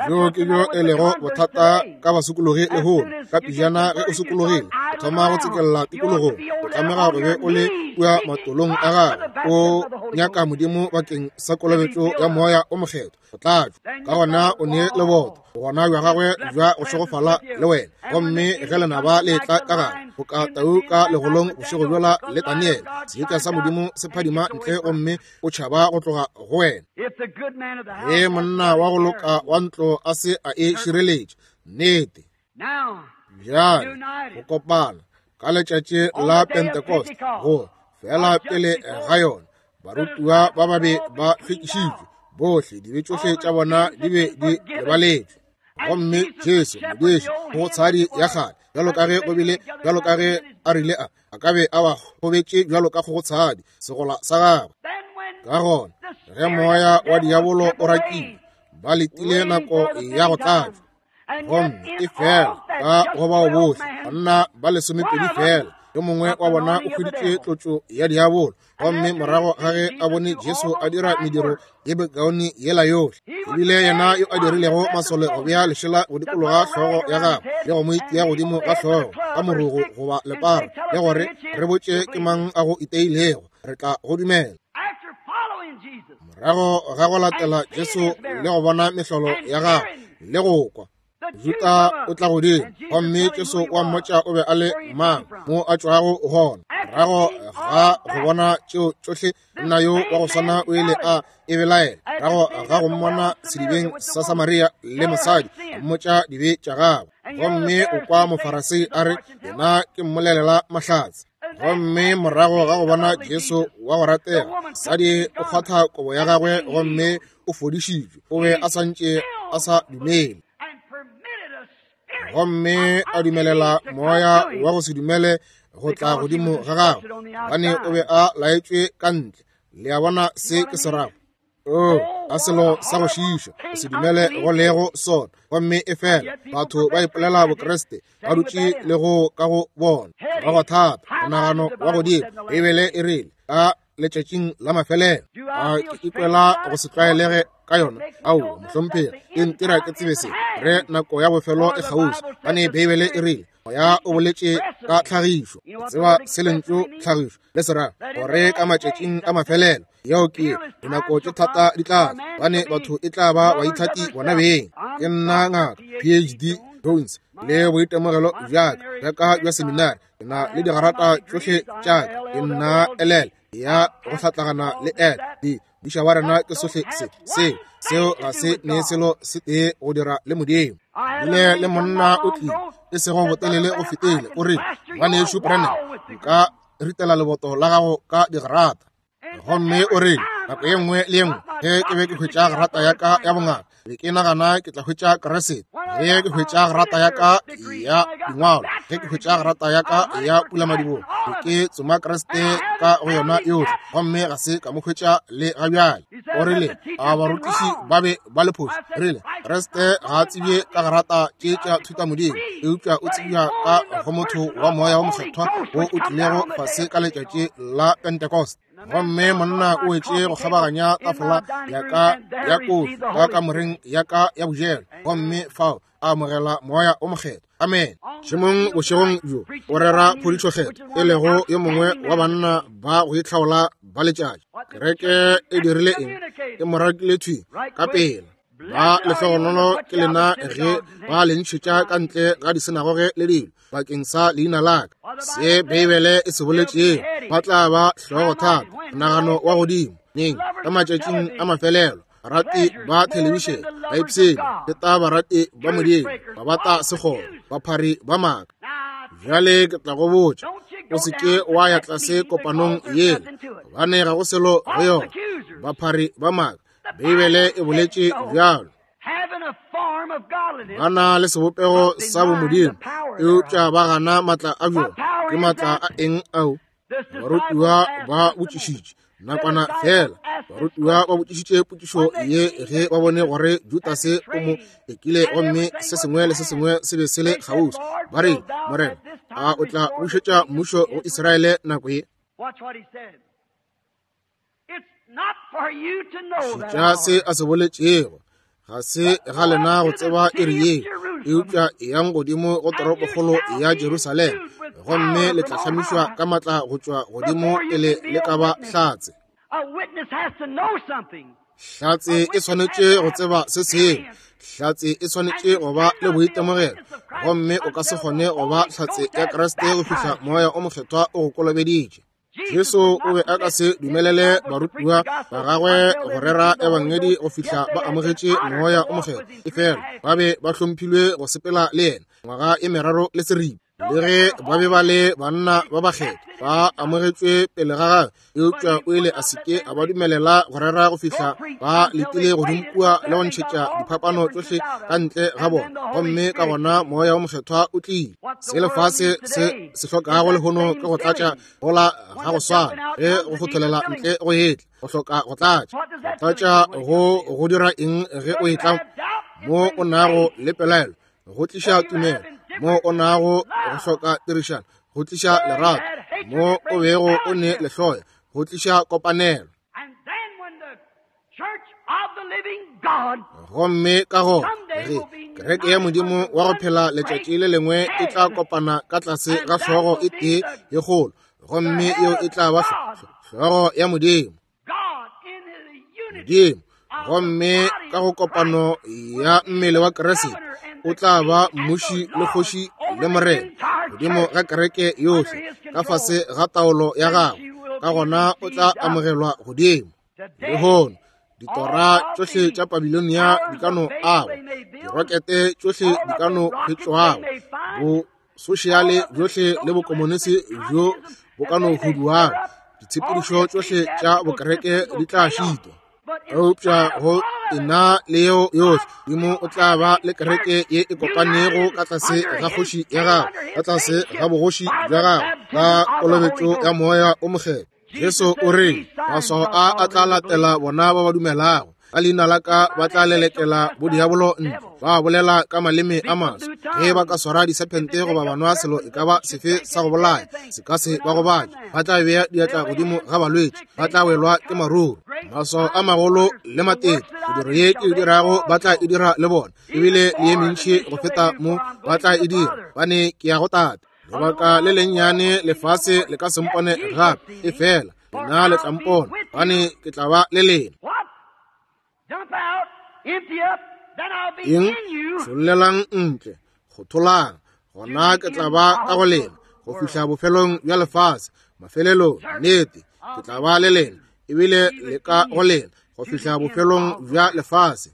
Bjo ke bjo e lego bothata ka basokologi lehono. Ka pejana ge o sokologile, o thoma go tsekella tikologong. O tlamega go be o le kua matolong a gago, o nyaka Modimo bakeng sa kolobetšo ya Moya o Mokgethwa, go tlatšwa. Ka gona o ne leboto, bogona bja gagwe bja go šegofala le wena. Gomme ge lenaba le etla ka gare, boka tau ka legolong bošego bjola le Daniele, seetša sa Modimo se phadima ntle gomme o tšhaba go tloga go wena. Ge monna wa go loka wa ntlo a se a e šireletša, nnete. Bjale go kopana ka letšatši la Pentecost, go fela pele ga yona, barutiwa ba ba be ba hlwekišitšwe bohle, dibe tšohle tša bona di be di lebaletšwe. Gomme Jesu modiši go tshadi ya kgale, bjalo ka ge go bile, bjalo ka ge a rile a ka be a ba kgobetše bjalo ka kgogotshadi segola sa gagwe. Ka gona ge moya wa diabolo o rakile, ba letile nako ya go tlatšwa. Gomme e fela ka go bao bohle banna ba 12 fela, yo mongwe wa bona o hweditše tlotšo ya diabolo. Gomme morago ga ge a bone Jesu a dira mediro ye bekaone yela yohle, ebile yena yo a dirilego masole go bea lešela go dikologa hlogo ya gagwe le go mo itia godimo ga hlogo ka morogo goba lepara, le gore re botše ke mang a go iteilego, re tla go dumela. Morago ga go latela Jesu le go bona mehlolo ya gagwe le go kwa, Juda o tla godimo gomme Jesu wa mmotša o be a le mang, mo a tšwago gona. Morago ga go bona tšeo tšohle, monna yo wa go swana o ile a e belaela. Morago ga go mmona sedibeng sa Samaria le mosadi, a mmotša dibe tša gagwe. Gomme o kwa Mofarasei a re, yena ke mmolelela mahlatse. Gomme morago ga go bona Jesu wa go ratega, mosadi o kgwatha kobo ya gagwe gomme o fodišitšwe. O be a santše a sa dumele, gomme a dumelela moya wa go se dumele go tla godimo ga gagwe, gobane o be a laetšwe ka ntle. Le a bona se ke se rago? Oh, a selo sa go šiiša go se dumele go lego sona. Gomme e fela batho ba ipolela Bokriste, ba dutše le go ka go bona ba go thata monagano wa godimo. Beibele e rile ka letšatšing la mafelelo, a ke ikwela go se tlwaelege ka yona? Aowa, mohlomphegi, e ntira ke tsebe se re nako ya bofelo e kgauswi, gobane Beibele e rile moya o boletše ka tlhagišo. Tseba se lentšu tlhagišo le se ra gore ka matšatšing a mafelelo, yeo ke dinako tše thata di tla tla, gobane batho e tla ba baithati bona beng. Ke nna ngaka PhD Jones le boitemogelo bja ka bja seminari, ke na le digarata tšohle tša ka, ke nna LL ya go hlatlagana le L D. Modiša wa rena ke sohle se seo, seo ga se ne selo se tee go dira le Modimo. Bile le monna o tlile e sego botelele go fetile, o rile, Ngwanešu Branham, nka ritela leboto la gago ka digarata. Gomme o rile, nako ye nngwe le ye nngwe ge ke be ke hwetša grata ya ka ya bongaka, be ke nagana ke tla hwetša Kriste. Ge ke hwetša grata ya ka ya dingwalo, ge ke hwetša grata ya ka ya pulamadibogo, be ke tsoma Kriste ka go yona yohle, gomme ga se ka mo hwetša le ga bjale. O rile, a barutiši ba be ba le phošo? Rile, Kriste ga a tsebje ka grata tše tša thutamodimo, eupša o tsebja ka go motho wa Moya wo Mokgethwa wo o tlilego fase ka letšatši la Pentecost. Gomme monna o wetše go kgabaganya tafola ya ka ya kofi ka kamoreng ya ka ya bojelo, gomme fao a amogela Moya o Mokgethwa. Amen. Šemong bošegong bjo o rera phodišokgethwa, e lego yo mongwe wa banna ba go itlhaola ba letšatši. Kereke e dirile eng? E mo rakile thwi ka pela. Ba lehlogonolo ke lena ge ba le ntšhetša ka ntle ga disinagoge le dilo bakeng sa leina la ka. Se Beibele e se boletšego, ba tla ba hlogothata, monagano wa godimo neng ka matšatšing a mafelelo. Barati ba thelebišene ba ipshina, feta barati ba Modimo, ba bata sekgoro, baphari ba maaka. Bjale ke tla go botša, o se ke wa ya tlase kopanong yela, gobane ga go selo go yona. Baphari ba maaka, Beibele e boletše bjalo. Ba na le sebopego sa bomodimo, eupša ba gana maatla a bjona. Ke maatla a eng ao? Barutiwa ba botšišitše. Nakwana fela barutiwa ba botšišitše potšišo ye ge ba bone gore Judase o mo ekile gomme se sengwe le se sengwe se be se le kgauswi. Ba re, Morena, a o tla bušetša mmušo go Israele nako ye? Šetša se a se boletšego. Ga se ga lena go tseba iri ye, eupša eyang godimo go toropokgolo ya Jerusalema, gomme le tla hlamišwa ka matla go tšwa godimo pele le ka ba hlatse. Hlatse e swanetše go tseba se sengwe. Hlatse e swanetše go ba le boitemogelo, gomme o ka se kgone go ba hlatse ya Kriste go fihla Moya o Mokgethwa o go kolobeditše. Jesu o be a ka se dumelele barutiwa ba gagwe go rera ebangedi go fihla ba amogetše Moya o Mokgethwa, efela ba be ba hlomphilwe go sepela le yena ngwaga e meraro le seripa. Le ge ba be ba le banna ba bakgethwa ba amogetšwe pele ga gagwe, eupša o ile a se ke a ba dumelela go rera go fihla ba letile godimo kua le go ntšhetša diphapano tšohle ka ntle ga bona, gomme ka gona Moya o Mokgethwa o tlile. Se lefase se se hlokago lehono ke go tlatša gola ga go swana ge go fotholela ntle go etla, go hloka go tlatša. Go tlatša go go dira eng ge o etla mo o nago le pelaelo? Go tliša tumelo. Mo o nago go hloka tirišano, go tliša lerato. Mo o bego o ne lehloyo, go tliša kopanelo. Gomme ka gona ge kereke ya Modimo wa go phela letšatši le lengwe e tla kopana ka tlase ga hlogo e tee ye kgolo, gomme yeo e tla ba hlogo ya Modimo. Modimo, gomme ka go kopano ya mmele wa Kriste o tla ba mmuši le kgoši le morena godimo ga kereke yohle ka fase ga taolo ya gagwe, ka gona o tla amogelwa godimo. Lehono ditora tšohle tša Babilonia di ka no agwa, dirokete tšohle di ka no hwetšwago, bo sošiale bjohle le bokomonisi bjo bo ka no huduago, ditshepedišo tšohle tša bokereke di tla šitwa. Eupša go ena le yeo yohle, Modimo o tla ba le kereke ye e kopanego ka tlase ga kgoši ya gagwe, ka tlase ga bogoši bja gagwe, ka kolobetšo ya Moya o Mokgethwa. Jesu o re, maswao a a tla latela bona ba ba dumelago. Ka leina la ka ba tla lelekela bodiabolo ntle, ba bolela ka maleme a maswa. Ge ba ka swara disephente goba ba nwa selo e ka ba sefe sa go bolaya, se ka se ba gobatše. Ba tla bea diatla godimo ga balwetši, ba tla welwa ke maruru. Maswao a magolo le matete, mediro ye ke e dirago ba tla e dira le bona, ebile le ye mentši go feta mo ba tla e dira, bane ke ya go Tate. Lebaka le lennyane lefase le ka se mpone gape, efela lena le tla mpona, gobane ke tla ba le lena. Eng? Šollelang ntle, kgotholang, gona ke tla ba ka go lena go fihla bofelong bja lefase. Mafelelong, nnete, ke tla ba le lena, ebile le ka go lena go fihla bofelong bja lefase.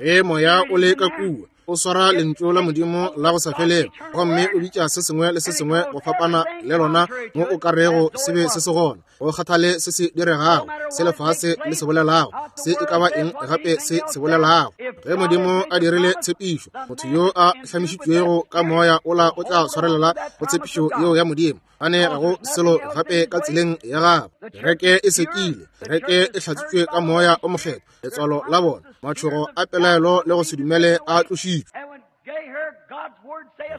Ge moya o le ka kua, o swara lentšu la Modimo la go sa felego, gomme o bitša se sengwe le se sengwe go fapana le lona mo o ka rego se be se se gona. Go kgathale se se diregago, se lefase le se bolelago, se e ka ba eng gape se se bolelago. Ge Modimo a dirile tshepišo, motho yo a hlamišitšwego ka moya ola o tla swarelela go tshepišo yeo ya Modimo. Gane ga go selo gape ka tseleng ya gagwe. Kereke e sekile, kereke e hlatsitšwe ka Moya o Mokgethwa, letswalo la bona, matšhogo a pelaelo le go se dumele a tlošitšwe.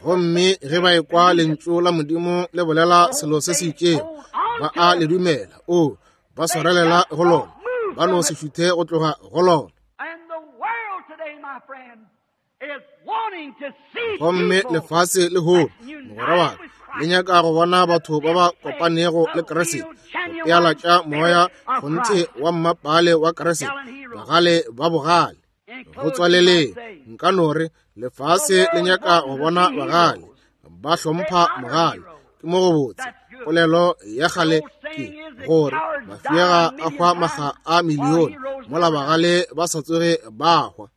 Gomme ge ba ekwa lentšu la Modimo le bolela selo se se itšego, ba a le dumela. O, ba swarelela go lona, ba no se šuthe go tloga go lona. Gomme lefase lehono, mogwera wa ka, le nyaka go bona batho ba ba kopanego le Kriste, go peala tša moya kgonthe wa mmapale wa Kriste, bagale ba bogale. Go tswaleleng, nka no re lefase le nyaka go bona bagale ba hlompha mogale. Ke mo go botse. Polelo ya kgale ke gore mafiega a hwa makga a milione, mola bagale ba sa tsoge ba hwa.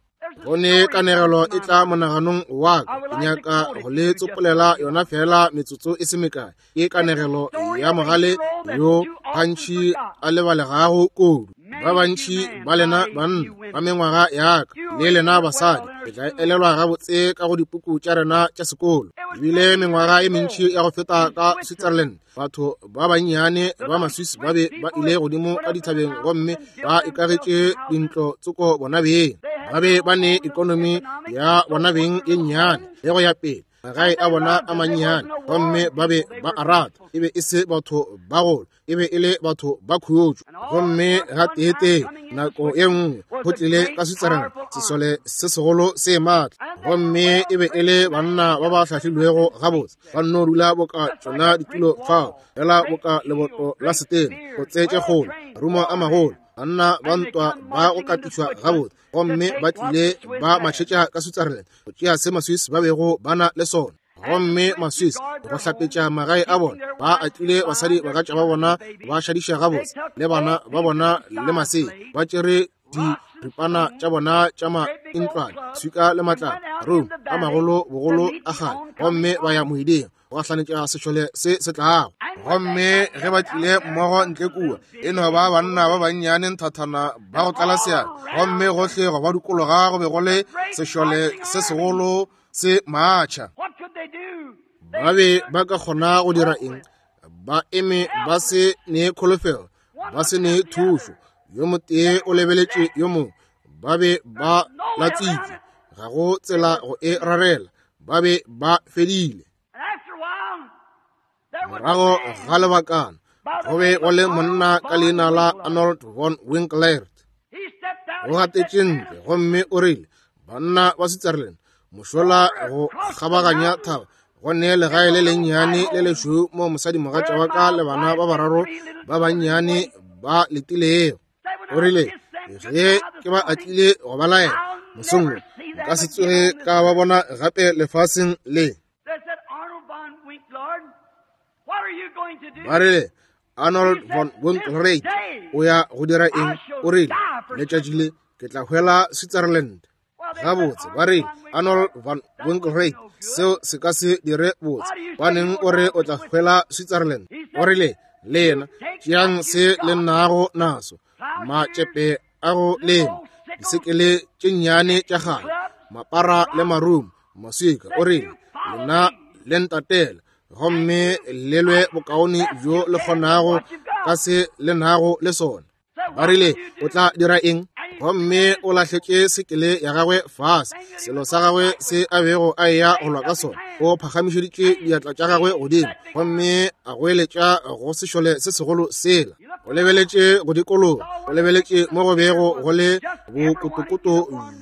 Go ne kanegelo e tla monaganong wa ka, ke nyaka go le tsopolela yona fela metsotso e se mekae. Ke kanegelo ya mogale yo gantši a lebalegago kudu. Ba bantši ba lena banna ba mengwaga ya ka le lena basadi le tla elelwa gabotse ka go dipuku tša rena tša sekolo. Ebile mengwaga e mentši ya go feta ka Switzerland, batho ba bannyane ba Maswiss ba be ba ile godimo ka dithabeng gomme ba ikagetše dintlo tsoko bona beng. Ba be ba ne ekonomi ya bona beng ye nnyane le go ya pele, magae a bona a mannyane, gomme ba be ba a rata. E be e se batho ba golo, e be e le batho ba khutšo. Gomme ga teetee nako ye nngwe go tlile ka Switzerland sesole se segolo se maatla, gomme e be e le banna ba ba hlahlilwego gabotse, ba nno dula boka tšona ditulo fao, fela boka leboto la setena, go tseetše kgolo, marumo a magolo, banna ba ntwa ba go katišwa gabotse, gomme ba tlile ba matšhetša ka Switzerland go tšea se Maswiss ba bego ba na le sona. Gomme Maswiss go hlapetša magae a bona, ba atlile basadi bagatša ba bona, ba šadiša gabotse le bana ba bona le masea, ba tšere diripana tša bona tša maintlwane, swika le matlalo, rome a magolo bogolo a kgale, gomme ba ya moeding go gahlanetša sešole se se tlago. Gomme ge ba tlile mmogo ntle kua, e no ba banna ba bannyane nthathana ba go tlala seatla, gomme gohle go ba dikologa go be go le sešole se segolo se matšha. Ba be ba ka kgona go dira eng? Ba eme ba se ne kholofelo, ba se ne thušo. Yo motee o lebeletše yo mongwe, ba be ba latsitšwe, ga go tsela go e rarela, ba be ba fedile. Morago ga lebakana go be go le monna ka leina la Arnold von Winkelried. O gatetše ntle gomme o rile, banna ba Switzerland, mošola go kgabaganya thaba go ne legae le lennyane le lešweu mo mosadimogatša wa ka le bana ba bararo ba bannyane ba letilego. O rile, ge ke ba atlile go ba laela mosong wo, nka se tsoge ka ba bona gape lefaseng le. Ba rile, Arnold von Winkelried o ya go dira eng? O rile, letšatši le ke tla hwela Switzerland. Gabotse, ba rile, Arnold von Winkelried, seo se ka se dire botse. Baneng o re o tla hwela Switzerland? O rile, le yena, tšeang se le nago naso, matšepe a go lema, disekele tše nnyane tša kgale, mapara le marumo, maswika. O rile, lena le ntatela gomme le lwe bokaone bjo le kgonago ka se le nago le sona. Ba rile, o tla dira eng? Gomme o lahletše sekele ya gagwe fase, selo sa gagwe se a bego a eya go lwa ka sona. O phagamišeditše diatla tša gagwe godimo gomme a goeletša go sešole se segolo sela. O lebeletše go dikologa, o lebeletše mo go bego go le bokotokoto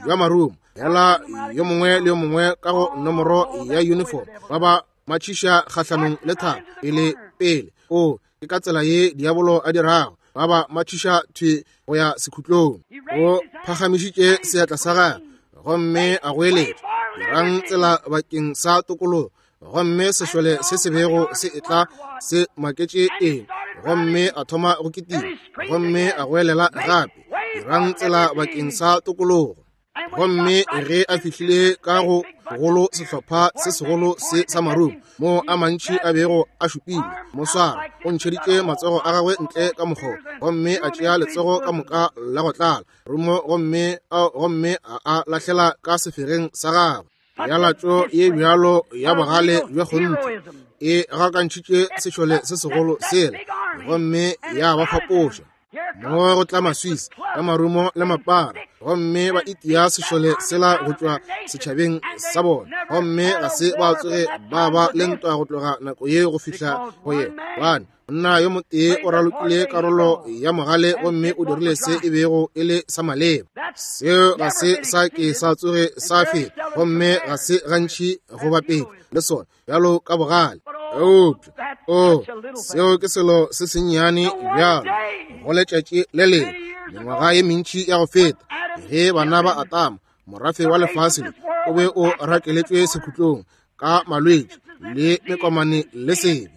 bja marumo, fela yo mongwe le yo mongwe ka go nomoro ya uniform, ba ba matšhiša kgahlanong le thaba pele pele. O, ke ka tsela ye diabolo a dirago, ba ba matšhiša thwi go ya sekhutlong. O phagamišitše seatla sa gagwe gomme a goeletša, dirang tsela bakeng sa tokologo. Gomme sešole se se bego se etla se maketše eng, gomme a thoma go kitima gomme a goelela gape, dirang tsela bakeng sa tokologo. Gomme ge a fihlile ka go golo sehlopha se segolo se sa marumo mo a mantši a bego a šupile, moswara o ntšheditše matsogo a gagwe ntle ka mokgobo gomme a tšea letsogo ka moka la go tlala rumo gomme a a lahlela ka sefegeng sa gagwe. Pealatšo ye bjalo ya bogale bja kgonthe e gakantšhitše sešole se segolo sela gomme ya ba fapoša. Mo go tla Maswisi ka marumo le mapara gomme ba itia sešole sela go tšwa setšhabeng sa bona, gomme ga se ba tsoge ba ba le ntwa go tloga nako ye go fihla go ye. Gobane monna yo motee o ralokile karolo ya mogale gomme o dirile se e bego e le sa maleba. Seo ga se sa ke sa tsoge sa feta, gomme ga se gantši go bapetšwa le sona bjalo ka bogale. Eupša, o, seo ke selo se sennyane bjalo. Go letšatši le lengwe, mengwaga ye mentši ya go feta, ge bana ba Atama, morafe wa lefase le, o be o rakeletšwe sekhutlong ka malwetši le mekomane le sebe.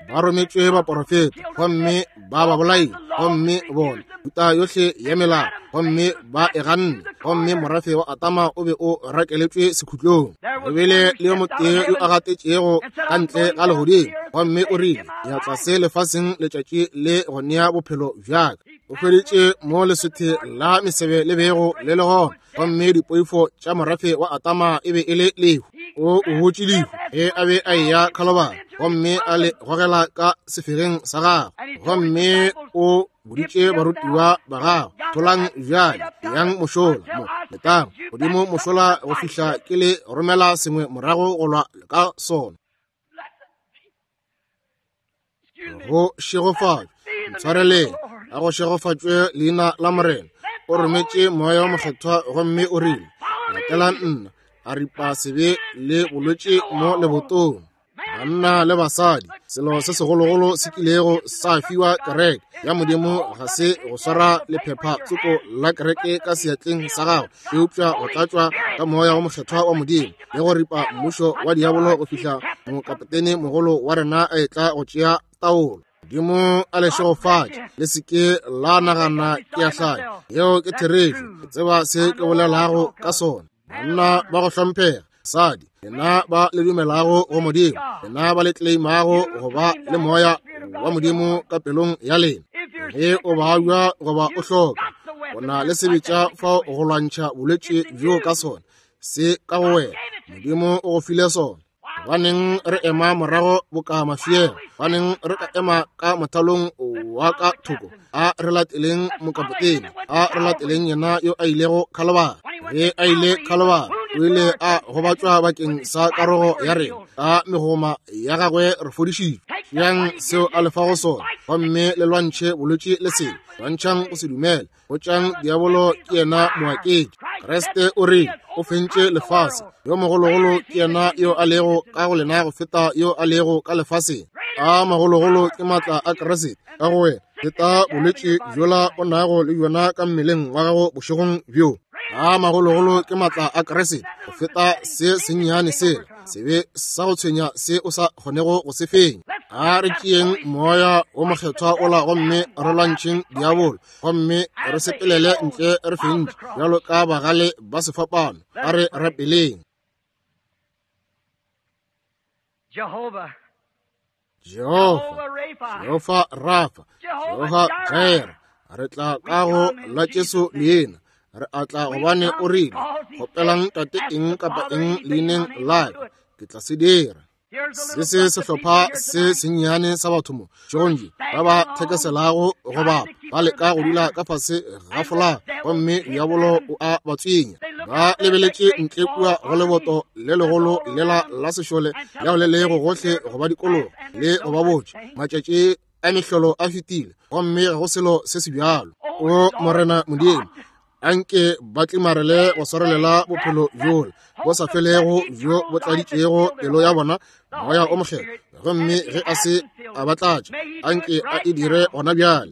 Ba rometšwe baporofeta gomme ba ba bolaile, gomme bona thuta yohle ya melao gomme ba e ganne, gomme morafe wa Atama o be o rakeletšwe sekhutlong. Go bile le yo motee yo a gatetšego ka ntle ga legodimo gomme o rile, ya tlase lefaseng letšatši le go nea bophelo bjaka. O hweditše mo leswethe la mesebe le bego le le gona, gomme dipoifo tša morafe wa Atama e be e le lehu. O hotše lehu ge a be a eya Khalobari, gomme a le gogela ka sefegeng sa gagwe, gomme o boditše barutiwa ba gagwe, tholang bjale, yang mošola mo, letang godimo mošola go fihla ke le romela sengwe morago go lwa ka sona. Go šegofatšwe, ntshwareleng, a go šegofatšwe leina la Morena. O rometše Moya wo Mokgethwa gomme o rile, latelang nna, a ripa sebe le bolwetši mo lebotong. Banna le basadi, selo se segologolo se kilego sa fiwa kereke ya Modimo ga se go swara lephepha tsoko la kereke ka seatleng sa gago, eupša go tlatšwa ka Moya wo Mokgethwa wa Modimo le go ripa mmušo wa diabolo go fihla mokapotene mogolo wa rena a etla go tšea taolo. Modimo a le šegofatše. Le se ke la nagana ke a hlanya. Yeo ke therešo. Ke tseba se ke bolelago ka sona. Banna ba go hlomphega, basadi, lena ba le dumelago go Modimo, lena ba le tleimago go ba le Moya wa Modimo ka pelong ya lena, ge o babja goba o hloka, o na le sebetša fao go lwantšha bolwetši bjoo ka sona, se ka go wena. Modimo o go file sona. Gobaneng re ema morago boka mafiela? Gobaneng re ka ema ka mothalong wa ka thoko? A re lateleng mokapotene, a re lateleng yena yo a ilego Khalobari. Ge a ile Khalobari, o ile a gobatšwa bakeng sa karogo ya rena, ka megoma ya gagwe re fodišitšwe. Tšeang seo a le fago sona, gomme le lwantšhe bolwetši le sebe. Lwantšhang go se dumele. Botšang diabolo ke yena moaketši. Kriste o rile o fentše lefase. Yo mogologolo ke yena yo a lego ka go lena go feta yo a lego ka lefaseng. A magologolo ke maatla a Kriste ka go wena. Feta bolwetši bjola o nago le bjona ka mmeleng wa gago bošegong bjo. A magologolo ke maatla a Kriste go feta se sennyane sela, sebe sa go tshwenya se o sa kgonego go se fenya. A re tšeeng Moya wo Mokgethwa ola gomme re lwantšheng diabolo, gomme re sepelele ntle re fentše bjalo ka bagale ba sefapano. A re rapeleng. Jehovah, Jehofa, Jehofa Rafa, Jehofa Jireh, re tla ka go la Jesu leina. Re a tla gobane o rile, kgopelang Tate eng kapa eng leineng la ka, ke tla se dira. Se se sehlopha se sennyane sa batho mo šegong bjo ba ba thekeselago goba ba leka go dula ka fase ga folaga, gomme diabolo o a ba tswinya. Ba lebeletše ntle kua go leboto le legolo lela la sešole leo le lego gohle go ba dikologa le go ba botša matšatši a mehlolo a fetile, gomme ga go selo se se bjalo. O Morena Modimo, anke ba tlimarele go swarelela bophelo bjola bo sa felego bjo bo tladitšego pelo ya bona Moya o Mokgethwa, gomme ge a se a ba tlatša, anke a e dire gona bjale.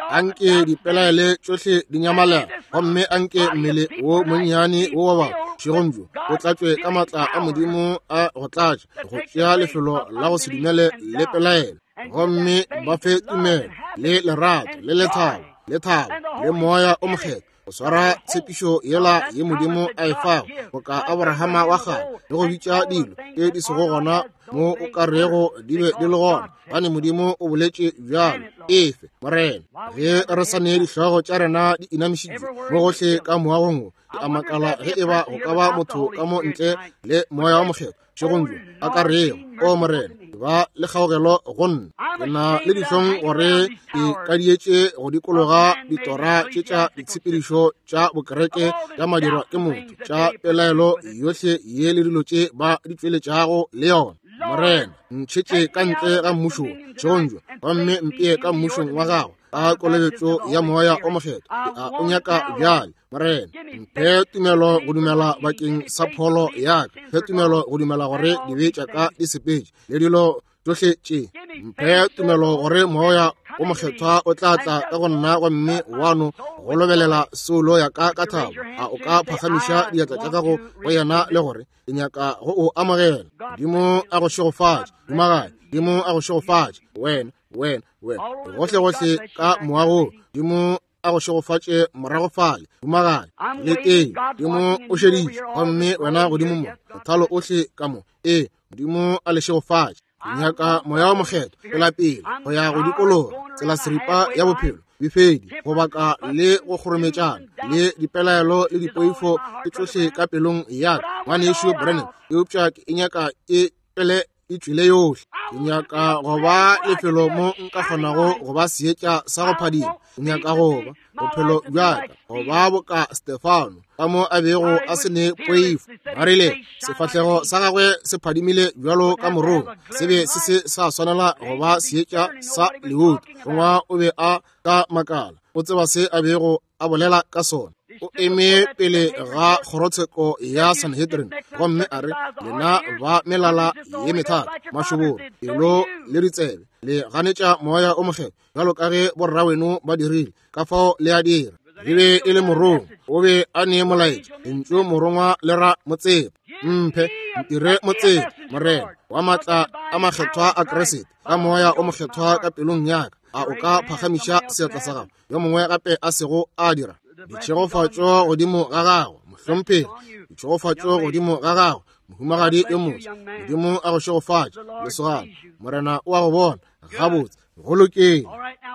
Anke dipelaele tšohle di nyamalela, gomme anke mmele wo monnyane wo wa batho bošegong bjo o tlatšwe ka maatla a Modimo a go tlatša, go tšea lefelo la go se dumele le pelaelo, gomme ba fe tumelo le lerato le lethabo le thabo le Moya o Mokgethwa go swara tshepišo yela ye Modimo a e fago boka Abrahama wa kgale, le go bitša dilo tše di sego gona mo o ka rego di be di le gona, gobane Modimo o boletše bjalo. Efe, Morena, ge re sa ne dihlogo tša rena di inamišitšwe mo gohle ka moagong wo, ke a makala ge e ba go ka ba motho ka mo ntle le Moya wa Mokgethwa bošegong bjo a ka rego, O Morena, ba le kgaogelo go nna. Ke na le dihlong gore ke kadietše go dikologa ditora tše tša ditshepedišo tša bokereke tša madirwa ke motho, tša pelaelo yohle ye le dilo tše ba di tšweletšago le yona. Morena, ntšhetše ka ntle ga mmušo bošegong bjo, gomme mpee ka mmušong wa gago ka kolobetšo ya Moya o Mokgethwa. Ke a o nyaka bjale, Morena. Mphe tumelo go dumela bakeng sa pholo ya ka. Mphe tumelo go dumela gore dibe tša ka di sepetše le dilo tšohle tše. Mphe tumelo gore Moya o Mokgethwa o tla tla ka go nna gomme wa no go lobelela soulo ya ka ka thabo. A o ka phagamiša diatla tša gago go yena le gore, Ke nyaka go o amogela. Modimo a go šegofatše, Dumagae. Modimo a go šegofatše, wena, wena, wena, gohle gohle ka moagong. Modimo a go šegofatše morago fale, Dumagae. Le teng, Modimo o šeditše, gomme wena godimo mo, mothalo ohle ka mo. Ee, Modimo a le šegofatše. Ke nyaka Moya wo Mokgethwa pela pele go ya go dikologa tsela seripa ya bophelo. befedi, go baka le go kgorometšana, le dipelaelo le dipoifo ke tšohle ka pelong ya ka, Ngwanešu Branham, eupša ke e nyaka e pele e tšwile yohle. Ke nyaka go ba lefelo mo nka kgonago go ba seetša sa go phadima. Ke nyaka go ba bophelo bja ka go ba boka Stefano, ka mo a bego a se ne poifo. Ba rile sefahlego sa gagwe se phadimile bjalo ka morongwa, se be se se sa swanela go ba seetša sa lehuto. Rongwa o be a ka makala, o tseba se a bego a bolela ka sona. O eme pele ga kgorotsheko ya Sanhedrin gomme a re, Lena ba melala ye methata, mašoboro, pelo le ditsebe, le ganetša Moya o Mokgethwa bjalo ka ge borraweno ba dirile, ka fao le a dira. E be e le morongwa, o be a ne molaetša. Lentšu morongwa le ra motseta. Mphe, ntire motseta, Morena, wa maatla a makgethwa a Kriste, ka Moya o Mokgethwa ka pelong ya ka. A o ka phagamiša seatla sa gago? Yo mongwe gape a sego a dira. Ditšhegofatšo godimo ga gago, mohlomphegi. Ditšhegofatšo godimo ga gago, mohumagadi yo moswa. Modimo a go šegofatše, lesogana. Morena o a go bona. Gabotse, go lokile.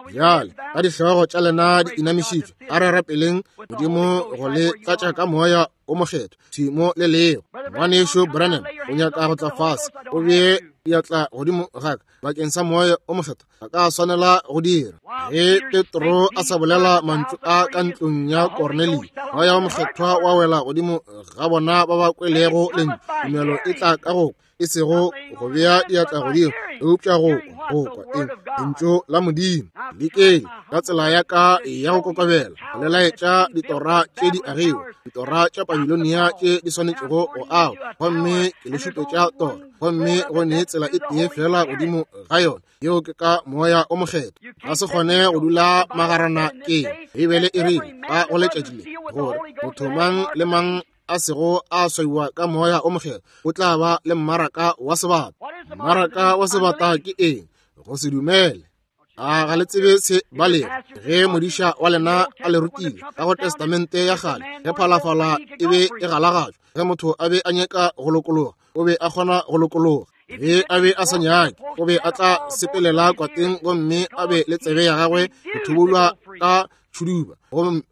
Bjale ka dihlogo tša lena di inamišitšwe, a re rapeleng Modimo go le tlatša ka Moya o Mokgethwa thwi mo le lego. Ngwanešu Branham o nyaka go tla fase, o bee diatla godimo ga ka bakeng sa Moya o Mokgethwa. A ka swanela go dira. Ge Petro a sa bolela mantšu a ka ntlong ya Kornelio, Moya o Mokgethwa wa wela godimo ga bona ba ba kwelego lentšu. Tumelo e tla ka go e sego go bea diatla godimo, eupša go kwa, go kwa eng? Lentšu la Modimo. Lekele ka tsela ya ka ya go kokobela le laetša ditora tše di agiwa, ditora tša Babilonia tše di swanetšego go agwa, gomme ke le šupetša tora, gomme go ne tsela e tee fela godimo ga yona, yeo ke ka Moya o Mokgethwa. Ga se kgone go dula magarana ke Beibele e rile ka go letšatši le gore motho mang le mang a sego a swaiwa ka Moya o Mokgethwa o tla ba le mmaraka wa sebata. Mmaraka wa sebata ke eng? Go se dumele. A ga le tsebe se ba lego? Ge modiša wa lena a le rutile ka go Testamente ya kgale, ge phalafala e be e galagatšwa, ge motho a be a nyaka go lokologa, o be a kgona go lokologa. Ge a be a sa nyake, o be a tla sepelela kwateng gomme a be le tsebe ya gagwe go thubulwa ka tšhuduba,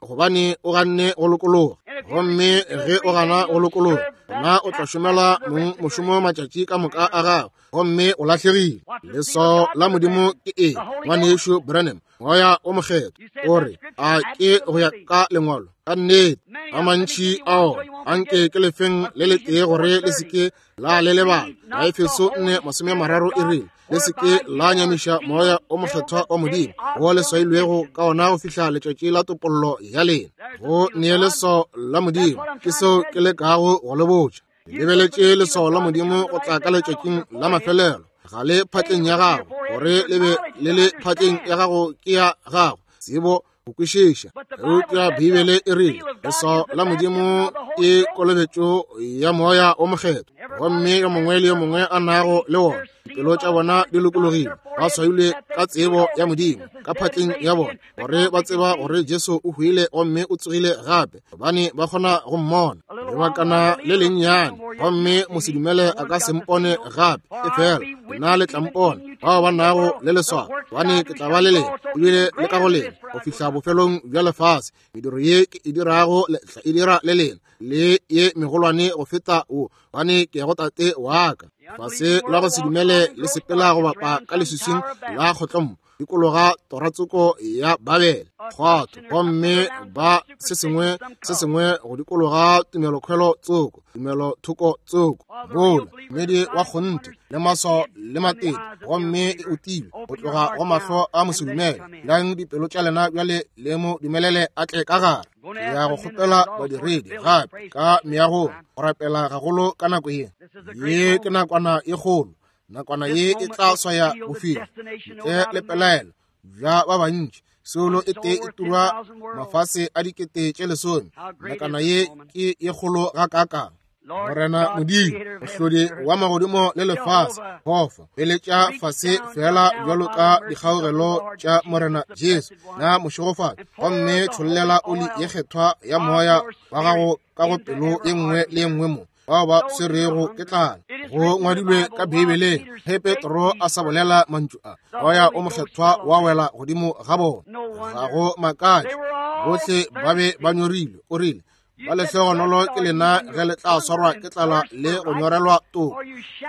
gobane o ganne go lokologa. Gomme ge o gana go lokologa, gona o tla šomela mong mošomo matšatši ka moka a gago, gomme o lahlegile. Leswao la Modimo ke eng, Ngwanešu Branham? Moya o Mokgethwa. O re, a ke go ya ka Lengwalo? Ka nnete, a mantši ao a nke ke lefeng le letee gore le se ke la le lebala. Baefeso 4:30 e rile, le se ke la nyamiša Moya o Mokgethwa wa Modimo, wo le swailwego ka ona go fihla letšatši la topollo ya lena. Go nee leswao la Modimo, ke seo ke lekago go le botša. Lebeletše leswao la Modimo go tla ka letšatšing la mafelelo. Ga le phatleng ya gago, gore le be le le phatleng ya gago ke ya gago tsebo go kwešiša. Eupša Beibele e rile leswao la Modimo ke kolobetšo ya Moya o Mokgethwa, gomme yo mongwe le yo mongwe a nago le wona, dipelo tša bona di lokologile, ba swailwe ka tsebo ya Modimo ka phatleng ya bona, gore ba tseba gore Jesu o hwile gomme o tsogile gape, gobane ba kgona go mmona lebakana le lennyane, gomme mosedumele a ka se mpone gape, efela nna le tla mpona, bao ba nago le leswao, gobane ke tla ba le lena ebile le ka go lena go fihla bofelong bja lefase. Mediro ye ke e dirago le tla e dira le lena, le ye megolwane go feta wo, gobane ke ya go Tate wa ka. Fase la go se dumele le sepela go bapa ka leswiswing la kgotlommo, dikologa toratsoko ya Babele kgwatho, gomme ba se sengwe se sengwe go dikologa tumelokhwelo tsoko, tumelothoko tsoko, bola mmedi wa kgonthe le maswao le matete, gomme e utilwe go tloga go mahlo a mosedumele. Lang dipelo tša lena bjale le mo dumelele a tle ka gare. Ke ya go kgopela badiredi gape ka meagong go rapela gagolo ka nako ye. Ye ke nakwana e kgolo. Nakwana ye e tla swaya bofelo ntle le pelaelo bja ba bantši. Soulo e tee e turwa mafase a 10,000. Nakwana ye ke ye kgolo gakaakang. Morena Modimo, mohlodi wa magodimo le lefase, gofa peletša fase fela bjalo ka dikgaogelo tša Morena Jesu na mošegofatša, gomme tšhollela oli ye kgethwa ya Moya wa gago ka go pelo ye nngwe le ye nngwe mo. bao ba swerego ke tlala. Go ngwadilwe ka Beibeleng, ge Petro a sa bolela mantšu a, Moya o Mokgethwa wa wela godimo ga bona. Ga go makatše, bohle ba be ba nyorilwe. O rile, ba lehlogonolo ke lena ge le tla swarwa ke tlala le go nyorelwa toko,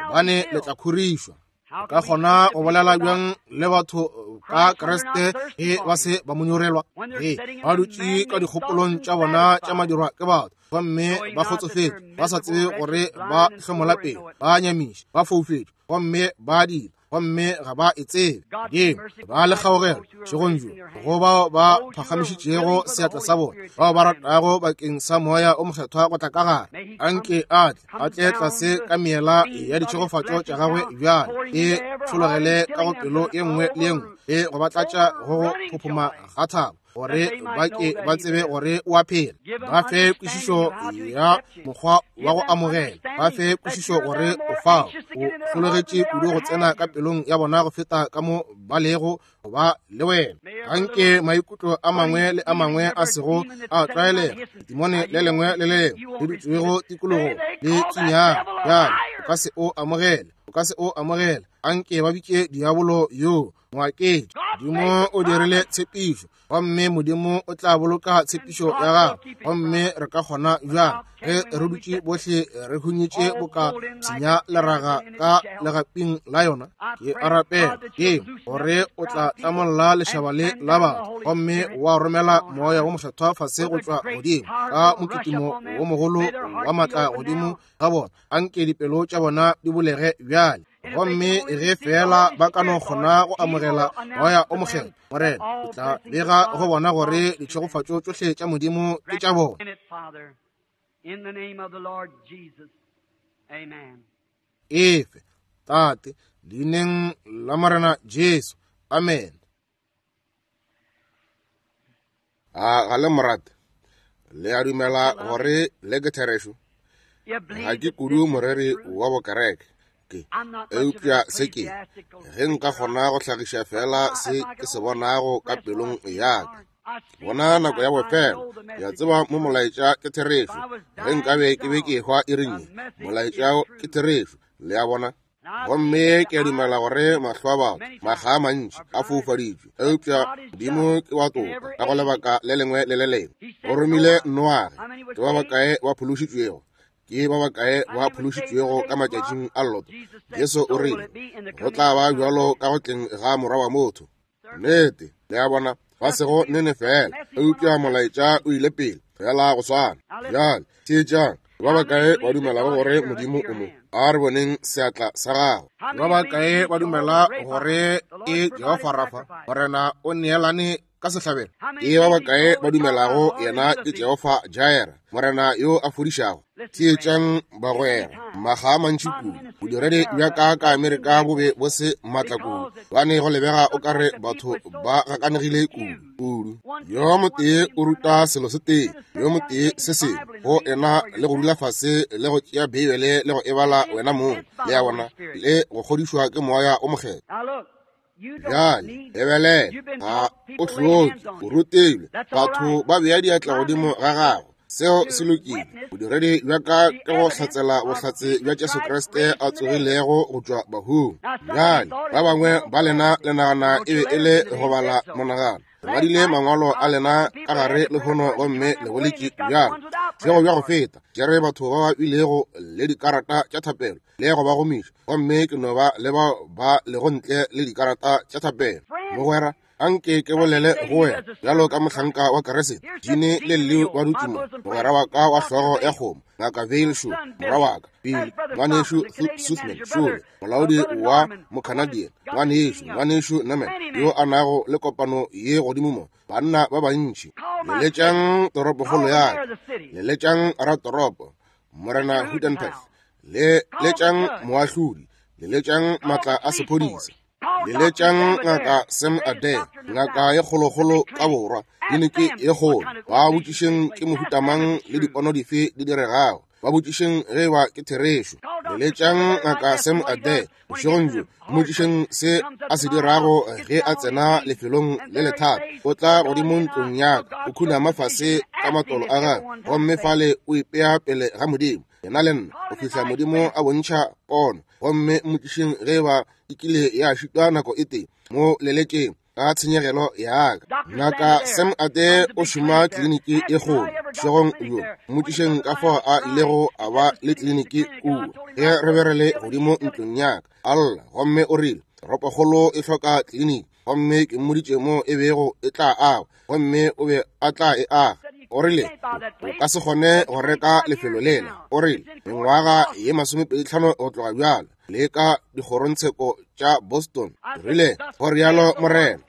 gobane le tla khorišwa. O ka kgona go bolela bjang le batho ka Kriste ge ba se ba mo nyorelwa? Ge ba dutše ka dikgopolong tša bona tša madirwa ke batho, gomme ba kgotsofetše, ba sa tsebe gore ba hlomola pele, ba nyamiša, ba foufetše, gomme ba dira, gomme ga ba e tsebe. Modimo, ba le kgaogelo bošegong bjo go bao ba phagamišitšego seatla sa bona, bao ba ratago bakeng sa Moya o Mokgethwa go tla ka gare. Anke a tle, a tle tlase ka meela ya ditšhegofatšo tša gagwe bjale, e tšhologele ka go pelo ye nngwe le ye nngwe, le go ba tlatša go go phophoma ga thabo, gore ba ke ba tsebe gore o a phela. Ba fe kwešišo ya mokgwa wa go amogela, ba fe kwešišo gore o fao, o hlologetše kudu go tsena ka pelong ya bona go feta ka mo ba lego go ba le wena. Anke maikutlo a mangwe le a mangwe a sego a tlwaelega, letimone le lengwe le le lengwe le dutšwego tikologong le tsunyago bjale, o ka se o amogele, o ka se o amogele. Anke ba bitše diabolo yo moaketši. Modimo o dirile tshepišo, gomme Modimo o tla boloka tshepišo ya gagwe. Gomme re ka kgona bjang ge re dutše bohle re hunyetše boka senya leraga ka legaping la yona? Ke a rapela ke gore o tla tlamolla lešaba le la batho, gomme wa romela Moya wo Mokgethwa fase go tšwa godimo ka mokitimo wo mogolo wa maatla godimo ga bona. Anke dipelo tša bona di bulege bjale, gomme ge feela ba ka no kgona go amogela Moya o Mokgethwa, Morena, o tla bega go bona gore ditšhegofatšo tšohle tša Modimo ke tša bona. Efe, Tate, leineng la Morena Jesu. Amen. A ga le morate? Le a dumela gore le ke therešo? Ga ke kudu moreri wa bokereke, ke eupša se ke, ge nka kgona go hlagiša fela se ke se bonago ka pelong ya ka. Bona nako ya bofelo, ke a tseba mo molaetša ke therešo. Ge nkabe ke be ke ehwa iring ye, molaetša ke therešo. Le a bona? Gomme ke a dumela gore mahlo a batho makga a mantši a foufaditšwe, eupša Modimo ke wa toka ka go lebaka le lengwe le le lengwe. O romile Noage. Ke ba bakae ba phološitšwego? Ke ba bakae ba phološitšwego ka matšatšing a Loto? Jesu o rile, go tla ba bjalo ka go tleng ga Morwa wa motho. Nnete, le a bona, ba sego nene fela, eupša molaetša o ile pele fela go swana. Bjale, theetšang, ba bakae ba dumelago gore Modimo o mo? A re boneng seatla sa gago. Ba bakae ba dumela gore ke Jehofa Rafa, Morena o neelane ka sehlabelo? Ke ba bakae ba dumelago yena ke Jehofa Jaira, Morena yo a fodišago? Theetšang bagwera, makga a mantši kudu bodiredi bja ka ka Amerika bo be bo se maatla kudu, gobane go lebega o ka re batho ba gakanegile kudu kudu. Yo motee o ruta selo se tee, yo motee se sengwe, go ena le go dula fase le go tšea Beibele le go e bala wena mong, le a bona, le go kgodišwa ke Moya o Mokgethwa. Bjale, lebelela, ga o hloke, o rutilwe, batho ba bea diatla godimo ga gago. Seo se lokile. Bodiredi bja ka ke go hlatsela bohlatse bja Jesu Kriste a tsogilego go tšwa bahung. Bjale, ba bangwe ba lena le nagana e be e le go bala monagano. Le badile mangwalo a lena ka gare lehono gomme le boletše bjalo. Bošego bja go feta, ke re batho ba ba bilego le dikarata tša thapelo le go ba gomiša, gomme ke no ba le bao ba lego ntle le dikarata tša thapelo. Mogwera, anke ke bolele go wena bjalo ka mohlanka wa Kriste. Gene le Leo ba dutše mo, mogwera wa ka wa hlogo ya kgomo, Ngaka Vayle Shaw, morwa wa ka, Billy, ngwanešu Suthman Shule, molaodi wa Mocanadian, ngwanešu, ngwanešu Norman, yo a nago le kopano ye godimo mo, banna ba bantši. Leletšang toropokgolo ya ka, leletšang ratoropo, Morena Hootenpeth, leletšang moahlodi, leletšang matla a sephodisa, leletšang Ngaka Sam Adair, ngaka ye kgolokgolo ka borwa, kliniki ye kgolo. Ba botšišeng ke mohutamang le dipono dife di diregago. Ba botšišeng ge eba ke therešo. Leletšang Ngaka Sam Adair bošegong bjo, mmotšišeng se a se dirago ge a tsena lefelong le lethata. O tla godimo ntlong ya ka, o khunama fase ka matolo a gagwe, gomme fale o ipea pele ga Modimo. yena le nna, go fihla Modimo a bontšha pono. Gomme mmotšišeng ge e ba e kile ya šitwa nako e tee mo leletšeng ka tshenyegelo ya ka. Ngaka Sam Ade o šoma kliniki e kgolo bošegong bjo. Mmotšišeng ka fao a ilego a ba le kliniki kua ge re be re le godimo ntlong ya ka, a lla, gomme o rile toropokgolo e hloka kliniki, gomme ke mmoditše mo e bego e tla agwa, gomme o be a tla e aga. O rile o ka se kgone go reka lefelo lela. O rile mengwaga ye 25 go tloga bjalo, le ka dikgorontsheko tša Boston. Rile go rialo Morena,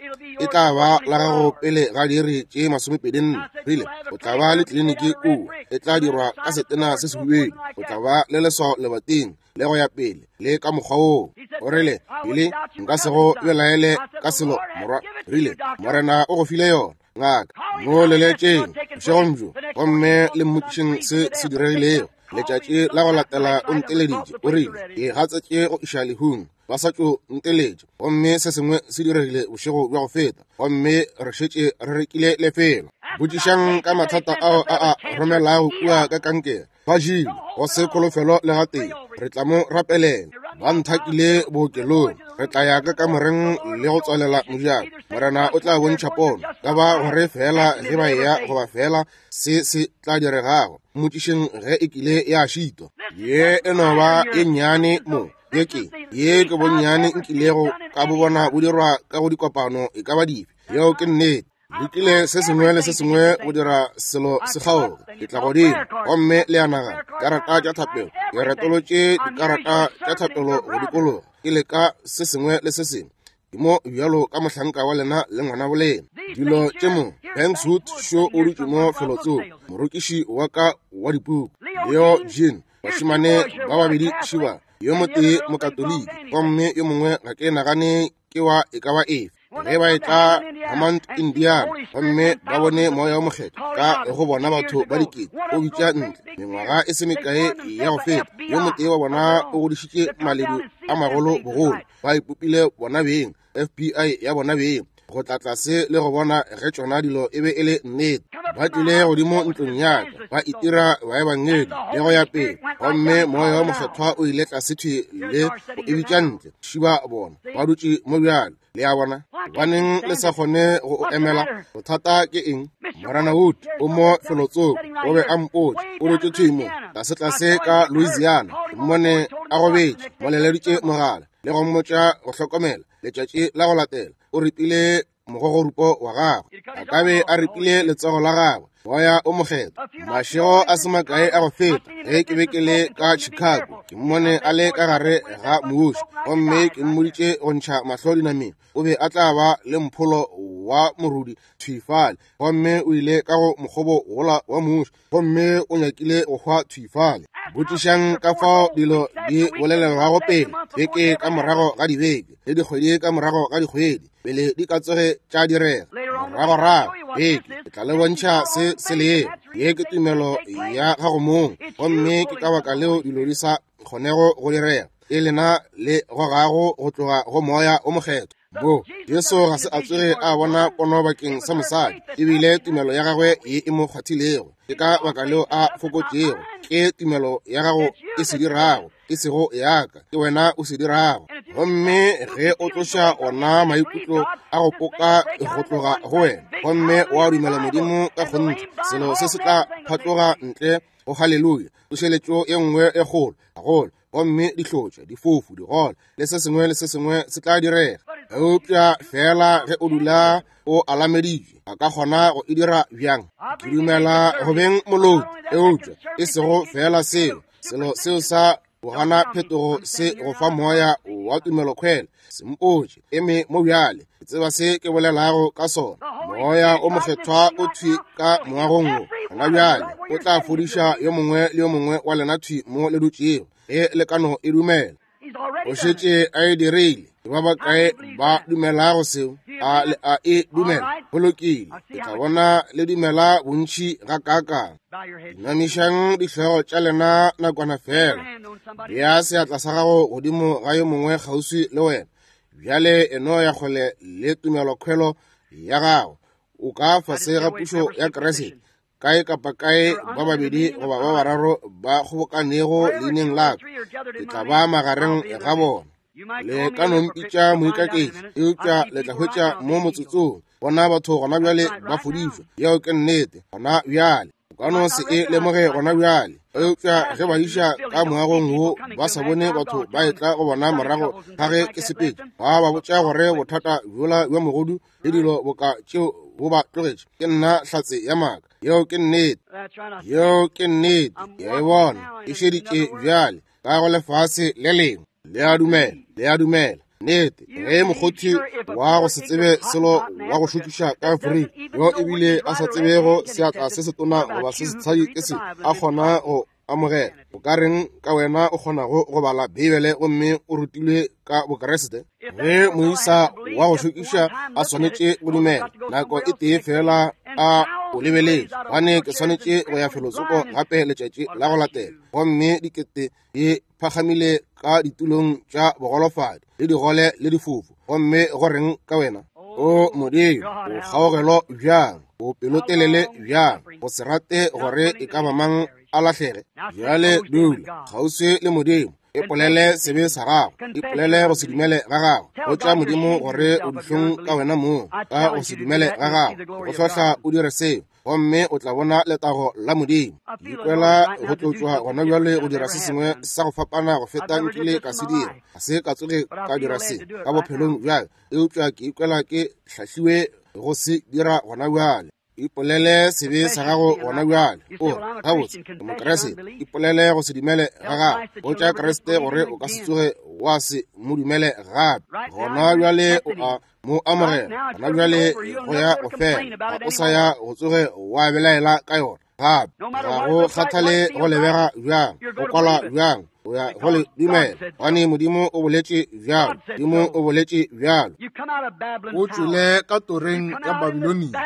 e tla ba la gago pele ga diiri tše 24. Rile o tla ba le kliniki kua, e tla dirwa ka setena se sehubedu, o tla ba le leswao lebating, le go ya pele le ka mokgwa woo. O rile, Billy, nka se go belaele ka selo, morwa. Rile, Morena o go file yona, ngaka. Mo leletšeng bošegong bjo gomme le mmotšišeng se se diregilego. Letšatši la go latela o nteleditše, o rile, ke gatsetše go iša lehung, ba sa tšo nteletša, gomme se sengwe se diregile bošego bja go feta, gomme re šetše re rekile lefelo. Botšišang ka mathata ao a a romelago kua ka kankere. Ba jile go se kholofelo le gatee. Re tla mo rapelela. Ba nthakile bookelong. Re tla ya ka kamoreng le go tswalela mojako. Morena o tla bontšha pono ka ba gore fela ge ba eya goba fela se se tla diregago. Mmotšišeng ge e kile ya šitwa. Ye e no ba ye nnyane mo. Ye ke ye ke bonnyane nkilego ka bo bona bo dirwa ka go dikopano e ka ba dife. Yeo ke nnete. Lekile se sengwe le se sengwe go dira selo se kgaoge. Ke tla godimo gomme le a nagana karata tša thapelo, ke retolotše dikarata tša thapelo go dikologa, ke leka se sengwe le se sengwe. Ke mo bjalo ka mohlanka wa lena le ngwana bolena. Dilo tše mo, Bankswood šo o dutše mo felotsoko, morokiši wa ka wa dipuku, Leo Jean, bašemane ba babedi šiba, yo motee Mokatoliki gomme yo mongwe ga ke nagane ke wa e ka ba efe. Ge ba etla Hammond, Indiana, gomme ba bone Moya wo Mokgethwa ka go bona batho ba dikete o bitša ntle mengwaga e se mekae ya go feta, yo motee wa bona o godišitše maledu a magolo bogolo, ba ipopile bona beng FBI ya bona beng, go tla tlase le go bona ge tšona dilo e be e le nnete. Ba tlile godimo ntlong ya ka, ba itira baebangedi le go ya pele, gomme Moya wo Mokgethwa o ile tlase thwi le go e bitša ntle. Šiba bona ba dutše mo bjalo. Le a bona? Gobaneng le sa kgone go o emela? Bothata ke eng? Morena Wood o mo felotsoko, o be a mpotša, o dutše thwi mo tlasetlase ka Louisiana. Ke mmone a gobetše, mo leleditše mogala le go mmotša go hlokomela. Letšatši la go latela o ripile mogogorupo wa gagwe, a ka be a ripile letsogo la gagwe. Moya o Mokgethwa. Mašego a se makae a go feta ge ke be ke le ka Chicago, ke mmone a le ka gare ga mmušo, gomme ke mmoditše go ntšha mahlo dinameng. O be a tla ba le mpholo wa morudi thwi fale, gomme o ile ka go mokgobo wola wa mmušo, gomme o nyakile go hwa thwi fale. Botšišang ka fao dilo di bolelelwago pele, beke ka morago ga dibeke, le dikgwedi ka morago ga dikgwedi, pele di ka tsoge tša direga. Moragorago beke ke tla le bontšha se se lego. Ye ke tumelo ya gago mong, gomme ke ka baka leo dilo di sa kgonego go direga. E lena le gogago go tloga go Moya o Mokgethwa. Bo Jesu ga se a tsoge a bona pono bakeng sa mosadi, ebile tumelo ya gagwe ye e mo kgwathilego. Ke ka baka leo a fokotšego. Ke tumelo ya gago e se dirago, e sego ya ka, ke wena o se dirago. Gomme ge o tloša ona maikutlo a go poka go tloga go wena, gomme wa dumela Modimo ka kgonthe, selo se se tla phatloga ntle go haleluya, tsošeletšo ye nngwe e kgolo gagolo, gomme dihlotša, difofu, digole, le se sengwe le se sengwe se tla direga. Eupša fela ge o dula o alameditšwe, a ka kgona go e dira bjang? Ke dumela go beng moloki, eupša e sego fela seo. Selo seo sa go gana phetogo se go fa moya wa tumelokhwele. Se mpotše, eme mo bjale, ke tseba se ke bolelago ka sona. Moya o Mokgethwa o thwi ka moagong wo gona bjale, o tla fodiša yo mongwe le yo mongwe wa lena thwi mo le dutšego, ge le ka no e dumela. O šetše a e dirile. Ke ba bakae ba dumelago seo? A le a e dumela? Go lokile, ke tla bona le dumela bontši gakaakang. Inamišang dihlogo tša lena nakwana fela. Bea seatla sa gago godimo ga yo mongwe kgauswi le wena. Bjale e no ya kgole le tumelokhwelo ya gago. O ka fase ga pušo ya Kriste. Kae kapa kae ba babedi goba ba bararo ba kgobokanego leineng la ka, ke tla ba magareng ga bona. Le ka no mpitša moikaketši, eupša le tla hwetša mo motsotsong. Bona batho gona bjale ba fodišwa. Yeo ke nnete, gona bjale. O ka no se e lemoge gona bjale, eupša ge ba iša ka moagong wo ba sa bone batho ba etla go bona morago ga ge ke sepetše, ba ba botša gore bothata bjola bja mogodu le dilo boka tšeo bo ba tlogetše. Ke nna hlatse ya maaka. Yeo ke nnete. Yeo ke nnete. Ke a e bona e šeditše bjale ka go lefase le lengwe. Le a dumela, le a dumela. Nnete, ge mokgothi wa go se tsebe selo wa go šokiša ka Afrika, yo ebile a sa tsebego seatla se setona goba se setshadi ke se, a kgona go amogela, o ka reng ka wena o kgonago go bala Beibele gomme o rutilwe ka Bokriste? Ge moisa wa go šokiša a swanetše go dumela nako e tee fela a o lebeletše, gobane ke swanetše go ya felotsoko gape letšatši la go latela, gomme dikete di phagamile ka ditulong tša bogolofadi le digole le difofu, gomme go reng ka wena? O Modimo, o kgaogelo bjang, o pelotelele bjang, go se rate gore e ka ba mang a lahlege. Bjale dula kgauswi le Modimo, ipolele sebe sa gago, ipolele go se dumele ga gago. Botša Modimo gore o dihlong ka wena mong ka go se dumele ga gago. Go hlohla o dire seo, gomme o tla bona letago la Modimo. Ke ikwela go tlotšwa gona bjale go dira se sengwe sa go fapana go feta nkile ka se dira. Ga se ka tsoge ka dira se ka bophelong bjale, eupša ke ikwela ke hlahliwe go se dira gona bjale. Ipolele sebe sa gago gona bjale. O re, gabotse, ke Mokriste. Ipolele go se dumele ga gago. Botša Kriste gore o ka se tsoge wa se mo dumele gape. Gona bjale o a mo amogela. Gona bjale go ya go fela. Ga o sa ya go tsoge wa belaela ka yona gape. Ga go kgathale go lebega bjang, go kwalwa bjang, o ya go le dumela, gobane Modimo o boletše bjalo. Modimo o boletše bjalo. O tšwele ka toreng ya Babilonia,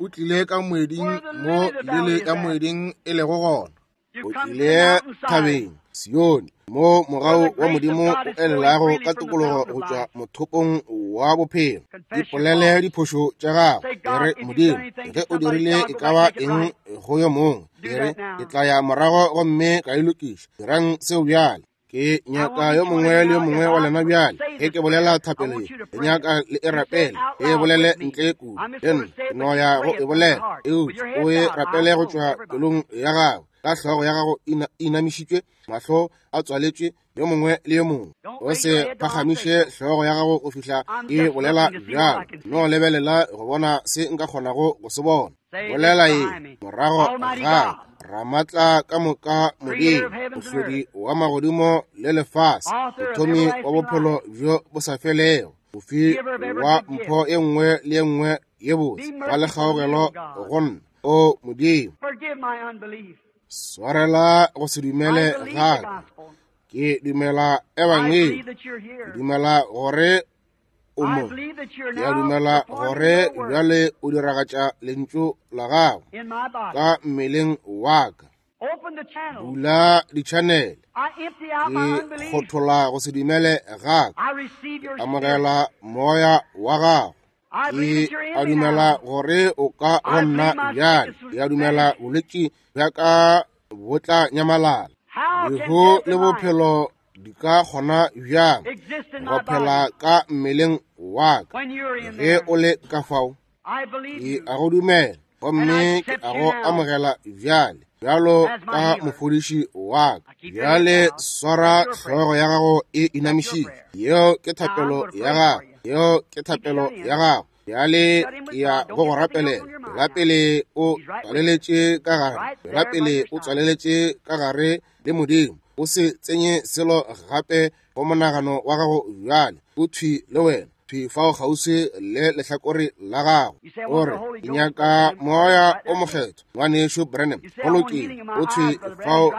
o tlile ka moeding mo lele ya moeding e lego gona. O tlile thabeng Sione, mo mogau wa Modimo o elelago ka tokologo go tšwa mothopong wa bophelo. Ipolele diphošo tša gago, e re, Modimo, ge o dirile e ka ba eng go yo mongwe, e re, ke tla ya morago gomme ka e lokiša. Dirang seo bjale. Ke nyaka yo mongwe le yo mongwe wa lena bjale, ge ke bolela thapelo ye, ke nyaka le e rapele, e bolele ntle kudu le nna. Ke no ya go e bolela, eupša o e rapele go tšwa pelong ya gago, ka hlogo ya gago e inamišitšwe, mahlo a tswaletšwe, yo mongwe le yo mongwe. O se phagamiše hlogo ya gago go fihla ke bolela bjalo. No lebelela go bona se nka kgonago go se bona. Bolela ye morago ga Ramatla ka moka Modimo, mohlodi wa magodimo le lefase, mothomi wa bophelo bjo bo sa felego, mofi wa mpho e nngwe le e nngwe ye botse, ba le kgaogelo go nna. O Modimo, swarela go se dumele ga ka. Ke dumela Ebangedi, ke dumela gore o mo. Ke a dumela gore bjale o diragatša lentšu la gago ka mmeleng wa ka. Bula ditšhanele. Ke kgothola go se dumele ga ka. Ke amogela moya wa gago. Ke a dumela gore o ka go nna bjale. Ke a dumela bolwetši bja ka bo tla nyamalala. Lehu le bophelo di ka kgona bjang go phela ka mmeleng wa ka ge o le ka fao? Ke a go dumela gomme ke a go amogela bjale bjalo ka mofodiši wa ka. Bjale swara hlogo ya gago e inamišitšwe. Yeo ke thapelo ya gago. Yeo ke thapelo ya gago. Bjale ke ya go go rapelela. Tšwela pele o tswaleletše ka gare. Tšwela pele o tswaleletše ka gare le Modimo. O se tsenye selo gape go monagano wa gago bjale. O thwi le wena, thwi fao kgauswi le lehlakore la gago. O re, ke nyaka Moya o Mokgethwa, Ngwanešu Branham. Go lokile, o thwi fao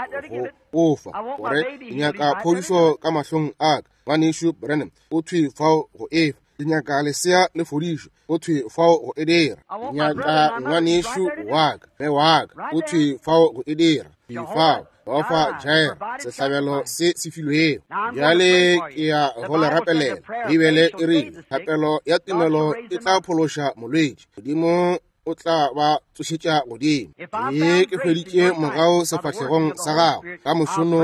go o fa. O re, ke nyaka phodišo ka mahlong a ka, Ngwanešu Branham. O thwi fao go e fa. Ke nyaka lesea le fodišo, o thwi fao go e dira. Ke nyaka ngwanešu wa ka, mme wa ka, o thwi fao go e dira. Thwi fao, Jehofa Jireh, sehlabelo se se filwego. Bjale ke ya go le rapelela. Beibele e rile, thapelo ya tumelo e tla phološa molwetši. Modimo o tla ba tsošetša godimo. Ge ke hweditše mogau sefahlegong sa gago ka mošono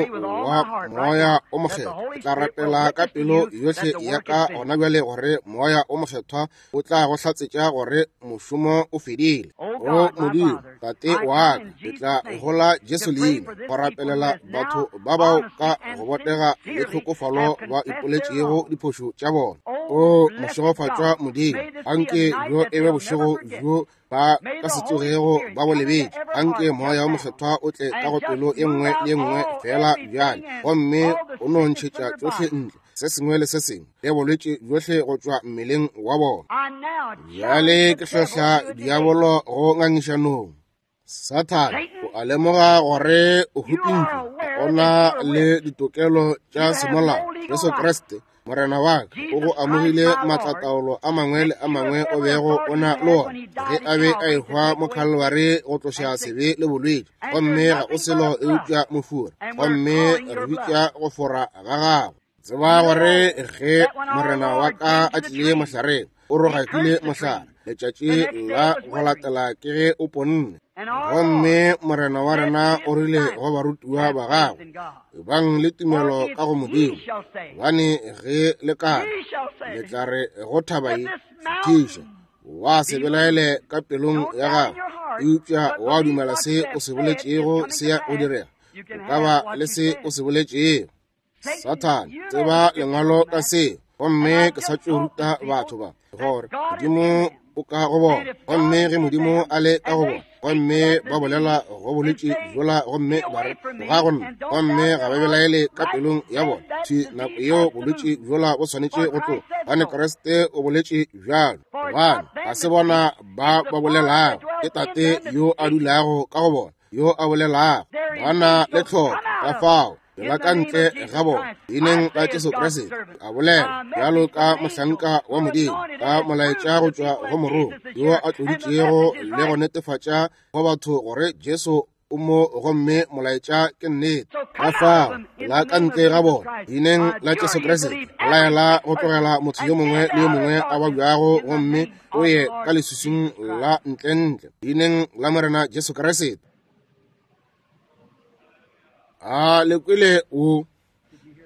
wa Moya o Mokgethwa, ke tla rapela ka pelo yohle ya ka gona bjale gore Moya o Mokgethwa o tla go hlatsetša gore mošomo o fedile. O Modimo, Tate wa ka, ke tla gola Jesu leina go rapelela batho ba bao ka go botega le tlhokofalo ba ipoletšego diphošo tša bona. O mošegofatšwa Modimo, anke bjo e be bošego bjo ba ka se tsogego ba bo lebetše. Anke Moya o Mokgethwa o tle ka go pelo e nngwe le e nngwe fela bjale, gomme o no ntšhetša tšohle ntle, se sengwe le se sengwe, le bolwetši bjohle go tšwa mmeleng wa bona. Bjale ke hlohla diabolo go ngangišanong. Sathane, o a lemoga gore o hupintšwe, o na le ditokelo tša semolao. Jesu Kriste, Morena wa ka, o go amogile maatlataolo a mangwe le a mangwe o bego o na le ona ge a be a ehwa mo Kalvari go tloša sebe le bolwetši, gomme ga o selo eupša mofura, gomme re bitša go fora ga gago. Tseba gore ge Morena wa ka a tlile mohlareng, o rogakile mohlare. Letšatši la go latela ke ge o ponne. Gomme Morena wa rena o rile go barutiwa ba gagwe, ebang le tumelo ka go Modimo, gobane ge le ka le tla re go thaba ye, fetiša, wa se belaele ka pelong ya gago, eupša wa dumela se o se boletšego se ya go direga, o ka ba le se o se boletšego. Sathane, tseba lengwalo ka se, gomme ke sa tšo ruta batho ba gore Modimo o ka go bona, gomme ge Modimo a le ka go bona, gomme ba bolela go bolwetši bjola gomme ba re ga go nna, gomme ga ba belaele ka pelong ya bona, thwi nako yeo bolwetši bjola bo swanetše go tloga, gobane Kriste o boletše bjalo. Gobane ga se bona ba ba bolelago, ke Tate yo a dulago ka go bona yo a bolelago. Ba na le tlhoko, ka fao la ka ntle ga bona, leineng la Jesu Kriste, a bolela bjalo ka mohlanka wa Modimo, ka molaetša go tšwa go morongwa yo a tloditšego le go netefatša go batho gore Jesu o mo, gomme molaetša ke nnete. Ka fao la ka ntle ga bona, leineng la Jesu Kriste, laela go tlogela motho yo mongwe le yo mongwe a babjago, gomme o ye ka leswiswing la ntlentle, leineng la Morena Jesu Kriste. A le kwele wo?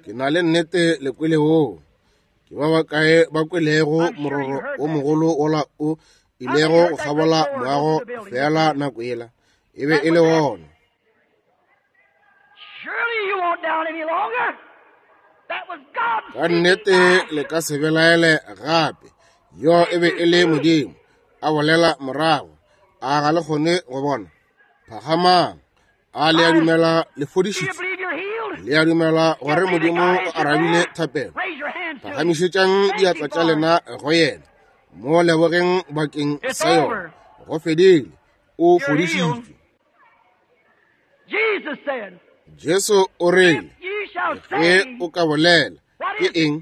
Ke na le nnete le kwele wo. Ke ba bakae ba kwelego mororo o mogolo wola o ilego go kgabola moago feela nako yela? E be e le wona. Ka nnete le ka se belaele gape. Yo e be e le Modimo a bolela morago. A ga le kgone go bona? Phagamang. A le a dumela le fodišitšwe? Le a dumela gore Modimo o arabile thapelo? Phagamišetšang diatla tša lena go yena, mo lebogeng bakeng sa yona. Go fedile, o fodišitšwe. Jesu o rile, ge o ka bolela, ke eng?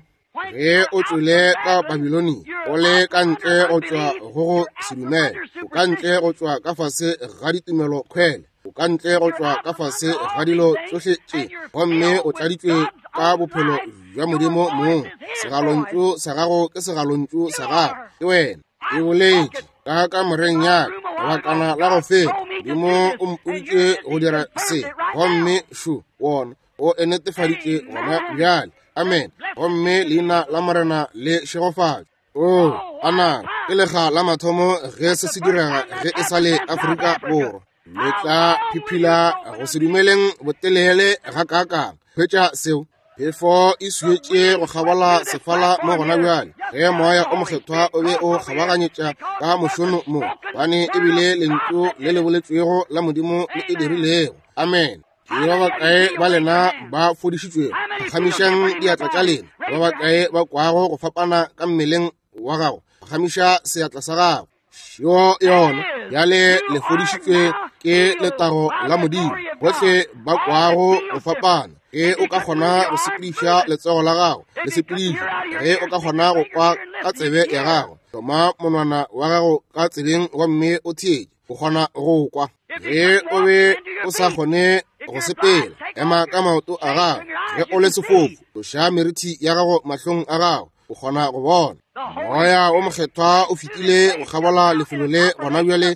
Ge o tšwele ka Babilonia, o le ka ntle go tšwa go go se dumele, o ka ntle go tšwa ka fase ga ditumelo kgwele, o ka ntle go tšwa ka fase ga dilo tšohle tše, gomme o tladitšwe ka bophelo bja Modimo mong. Segalontšu sa gago ke segalontšu sa gago, ke wena. E boletše ka kamoreng ya ka lebakana la go feta, Modimo o mpoditše go dira se, gomme šo wona o e netefaditše gona bjale. Amen. Gomme leina la Morena le šegofatšwe. O ana ke lega la mathomo ge se se direga ge e sa le Afrika Borwa. Le tla phiphila go se dumeleng botelele gakaakang. Hwetša seo. Phefo e swietše go kgabola sefala mo gona bjale, ge Moya o Mokgethwa o be o kgabaganyetša ka mošono mo, gobane e bile lentšu le le boletšwego la Modimo le e dirilego. Amen. Ke ba bakae ba lena ba fodišitšwego? Phagamišang diatla tša lena. Ba bakae ba kwago go fapana ka mmeleng wa gago? Phagamiša seatla sa gago. Šo yona. Bjale le fodišitšwe ke letago la Modimo. Bohle ba kwago go fapana, ge o ka kgona go sepediša letsogo la gago, le sepediše. Ge o ka kgona go kwa ka tsebe ya gago, hloma monwana wa gago ka tsebeng gomme o theetše. O kgona go kwa. Ge o be o sa kgone go sepela, ema ka maoto a gago. Ge o le sefofu, tloša merithi ya gago mahlong a gago, o kgona go bona. Moya o Mokgethwa o fetile go kgabola lefelo le gona bjale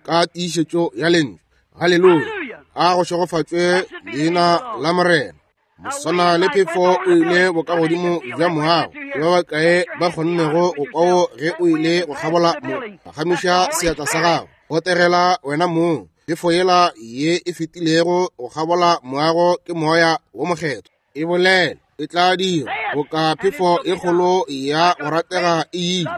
ka tiišetšo ya lentšu. Haleluya! A go šegofatšwe leina la Morena. Moswana le phefo o ile bokagodimo bja moago. Ke ba bakae ba kgonnego go kwao ge o ile go kgabola mo? Phagamiša seatla sa gago. Botegela wena mong. Phefo yela ye e fetilego go kgabola moago ke Moya wo Mokgethwa. E bolele, e tla dira boka phefo e kgolo ya go ratega e ile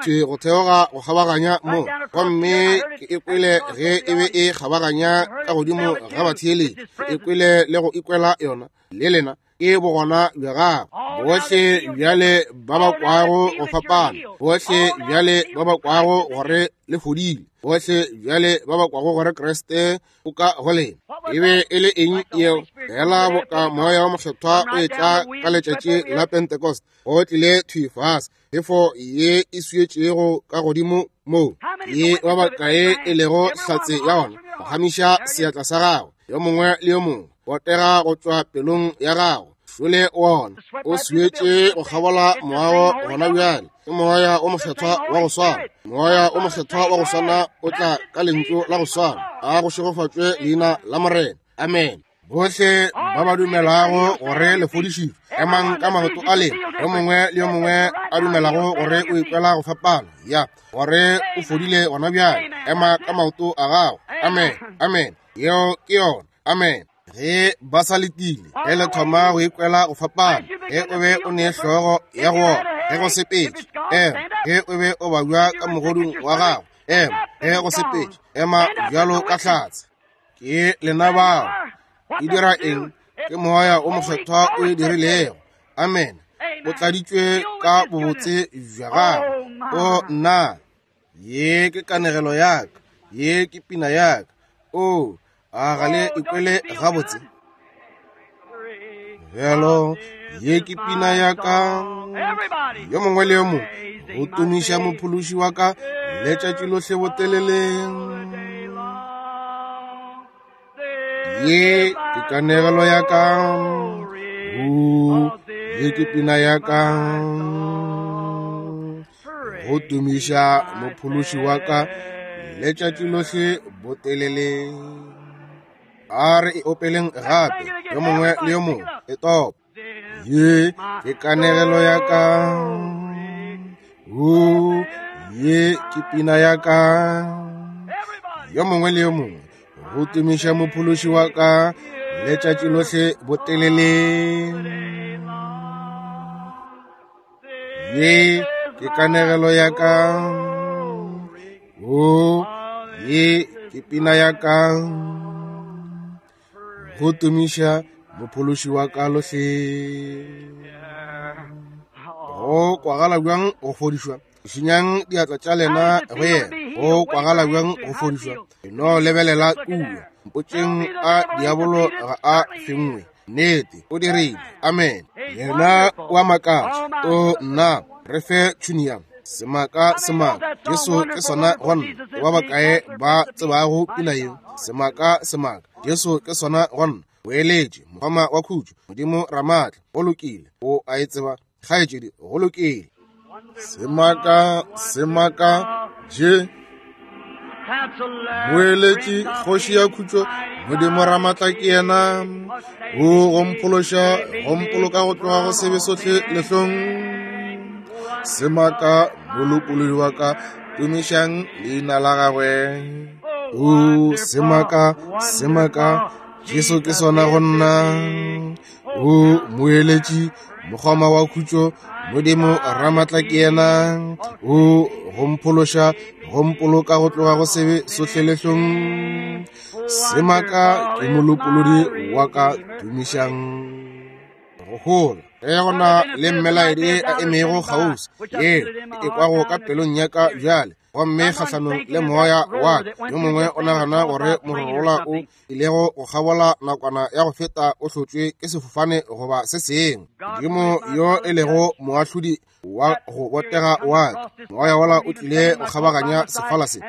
thwi go theoga go kgabaganya mo, gomme ke e kwele ge e be e kgabaganya ka godimo ga batheeletši. Ke e kwele le go ikwela yona le lena. Ke bogona bja gagwe. Bohle bjale ba ba kwago go fapana, bohle bjale ba ba kwago gore le fodile, bohle bjale ba ba kwago gore Kriste o ka go lena. E be e le eng yeo? Fela boka Moya wa Mokgethwa o etla ka letšatši la Pentecost, o tlile thwi fase, phefo ye e swietšego ka godimo moo. Ke ba bakae e lego hlatse ya ona? Phagamiša seatla sa gago, yo mongwe le yo mongwe. Botega go tšwa pelong ya gago. Šole wona o swietše go kgabola moago gona bjale. Ke Moya o Mokgethwa wa go swana. Moya o Mokgethwa wa go swana o tla ka lentšu la go swana. A go šegofatšwe leina la Morena. Amen. Bohle ba ba dumelago gore le fodišitšwe, emang ka maoto a lena. Yo mongwe le yo mongwe a dumelago gore o ikwela go fapana, ya gore o fodile gona bjale, ema ka maoto a gago. Amen. Amen. Yeo ke yona. Amen. Ge ba sa letile, ge le thoma go ikwela go fapana, ge o be o ne hlogo ya go opa, ge go sepetše, ema. Ge o be o babja ka mogodung wa gago, ema. Ge go sepetše, ema bjalo ka hlatse. Ke lena bao. E dira eng? Ke Moya o Mokgethwa o e dirilego. Amen. O tladitšwe ka bobotse bja gagwe. O nna. Ye ke kanegelo ya ka. Ye ke pina ya ka. O, a ga le ikwele gabotse? Bjalo, ye ke pina ya ka. Yo mongwe le yo mongwe go tumiša mophološi wa ka letšatši lohle botelele. Ye ke kanegelo ya ka. O, ye ke pina ya ka. Go tumiša mophološi wa ka letšatši lohle botelele. A re e opeleng gape, yo mongwe le yo mongwe, e topa. Ye ke kanegelo ya ka. O, ye ke pina ya ka. Yo mongwe le yo mongwe, go tumiša mophološi wa ka letšatši lohle botelele. Ye ke kanegelo ya ka. O, ye ke pina ya ka. Go tumiša mophološi wa ka lohle. Go kwagala bjang go fodišwa? Šinyang diatla tša lena go yena. Go kwagala bjang go fodišwa? No lebelela kua. Mpotšeng a diabolo ga a fengwe. Nnete, o dirile. Amen. Yena wa makatša. O nna, re fe tšhunia. Semaka, semaka. Jesu ke sona go nna. Ke ba bakae ba tsebago pina yeo? Semaka, semaka. Jesu ke sona go nna. Boeletše, mokgoma wa khutšo, Modimo Ramaatla. Go lokile. O a e tseba, kgaetšedi. Go lokile. Semaka, semaka, je. Moeletši, kgoši ya khutšo, Modimo Ramaatla ke yena. O go mphološa, go mpoloka go tloga go sebe sohle lehlong. Semaka, molopolodi wa ka, tumišang leina la gagwe. O semaka, semaka, Jesu ke sona go nna. O moeletši, mokgoma wa khutšo, Modimo Ramaatla ke yena. O go mphološa, go mpoloka go tloga go sebe sohle lehlong. Semaka ke molopolodi wa ka, tumišang. Go gola ge go na le mmelaedi a emego kgauswi, ye e kwago ka pelong ya ka bjale, gomme kgahlanong le moya wa ka. Yo mongwe o nagana gore mororola o ilego go kgabola nakwana ya go feta o hlotšwe ke sefofane goba se sengwe. Modimo yo e lego moahlodi wa go botega wa ka, moya wola o tlile go kgabaganya sefala se,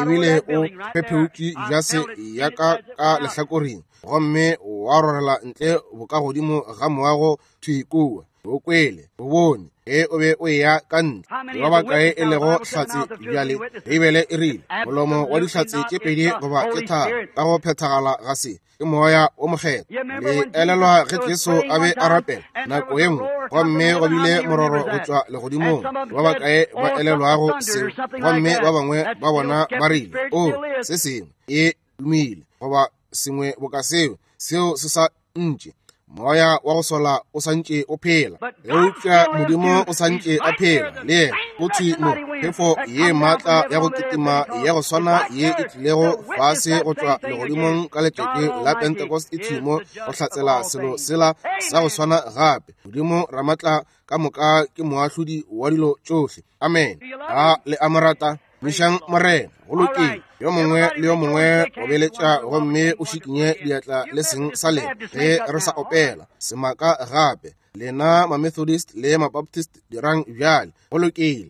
ebile o phepheutše jase ya ka ka lehlakoreng, gomme wa rorela ntle bokagodimo ga moago thwi kua. O kwele, o bone ge o be o eya ka ntle. Ke ba bakae e lego hlatse bjale? Beibele e rile, molomo wa dihlatse tše pedi goba tše tharo ka go phethagala ga se ke Moya wo Mokgethwa. Le elelwa ge Jesu a be a rapela nako ye nngwe, gomme go bile mororo go tšwa legodimong. Ke ba bakae ba elelwago seo? Gomme ba bangwe ba bona ba rile, O, se sengwe e dumile, goba sengwe boka seo, seo se sa ntše. Moya wa go sola o sa ntše o phela, eupša Modimo o sa ntše a phela le yena. O thwi mo, phefo ye maatla ya go kitima ya go swana ye e tlilego fase go tšwa legodimong ka letšatši la Pentecost e thwi mo go hlatsela selo sela sa go swana gape. Modimo Ramatla ka moka ke moahlodi wa dilo tšohle. Amen. A le a mo rata? Mišang Morena. Go lokile. Yo mongwe le yo mongwe obeletša gomme o šikinye diatla le seng sa lena ge re sa opela semaka gape. Lena ma-Methodist le ma-Baptist dirang bjale. Go lokile.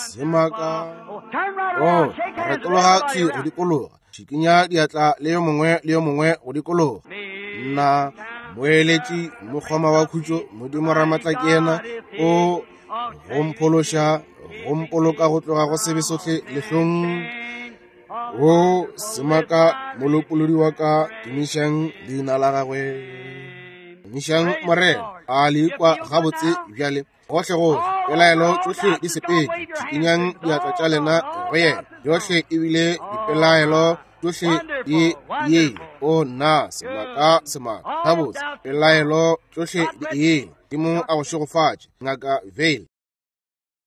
Semaka. Oh, retologa thwi go dikologa. Šikinya diatla le yo mongwe le yo mongwe go dikologa. Nna moeletši mokgoma wa khutšo, Modimo Ramatla ke yena o go mphološa, go mpoloka go tloga go sebe sohle lehlong. O semaka molopolodi wa ka, tumišang leina la gagwe. Tumišang Morena. A le ikwa gabotse bjale? Gohle gohle pelaelo tšohle di sepetše. Šikinyang diatla tša lena go yena. Yohle ebile dipelaelo tšohle di ile. O nna semaka semaka gabotse. Pelaelo tšohle di ile. Modimo a go šegofatše, Ngaka Vayle.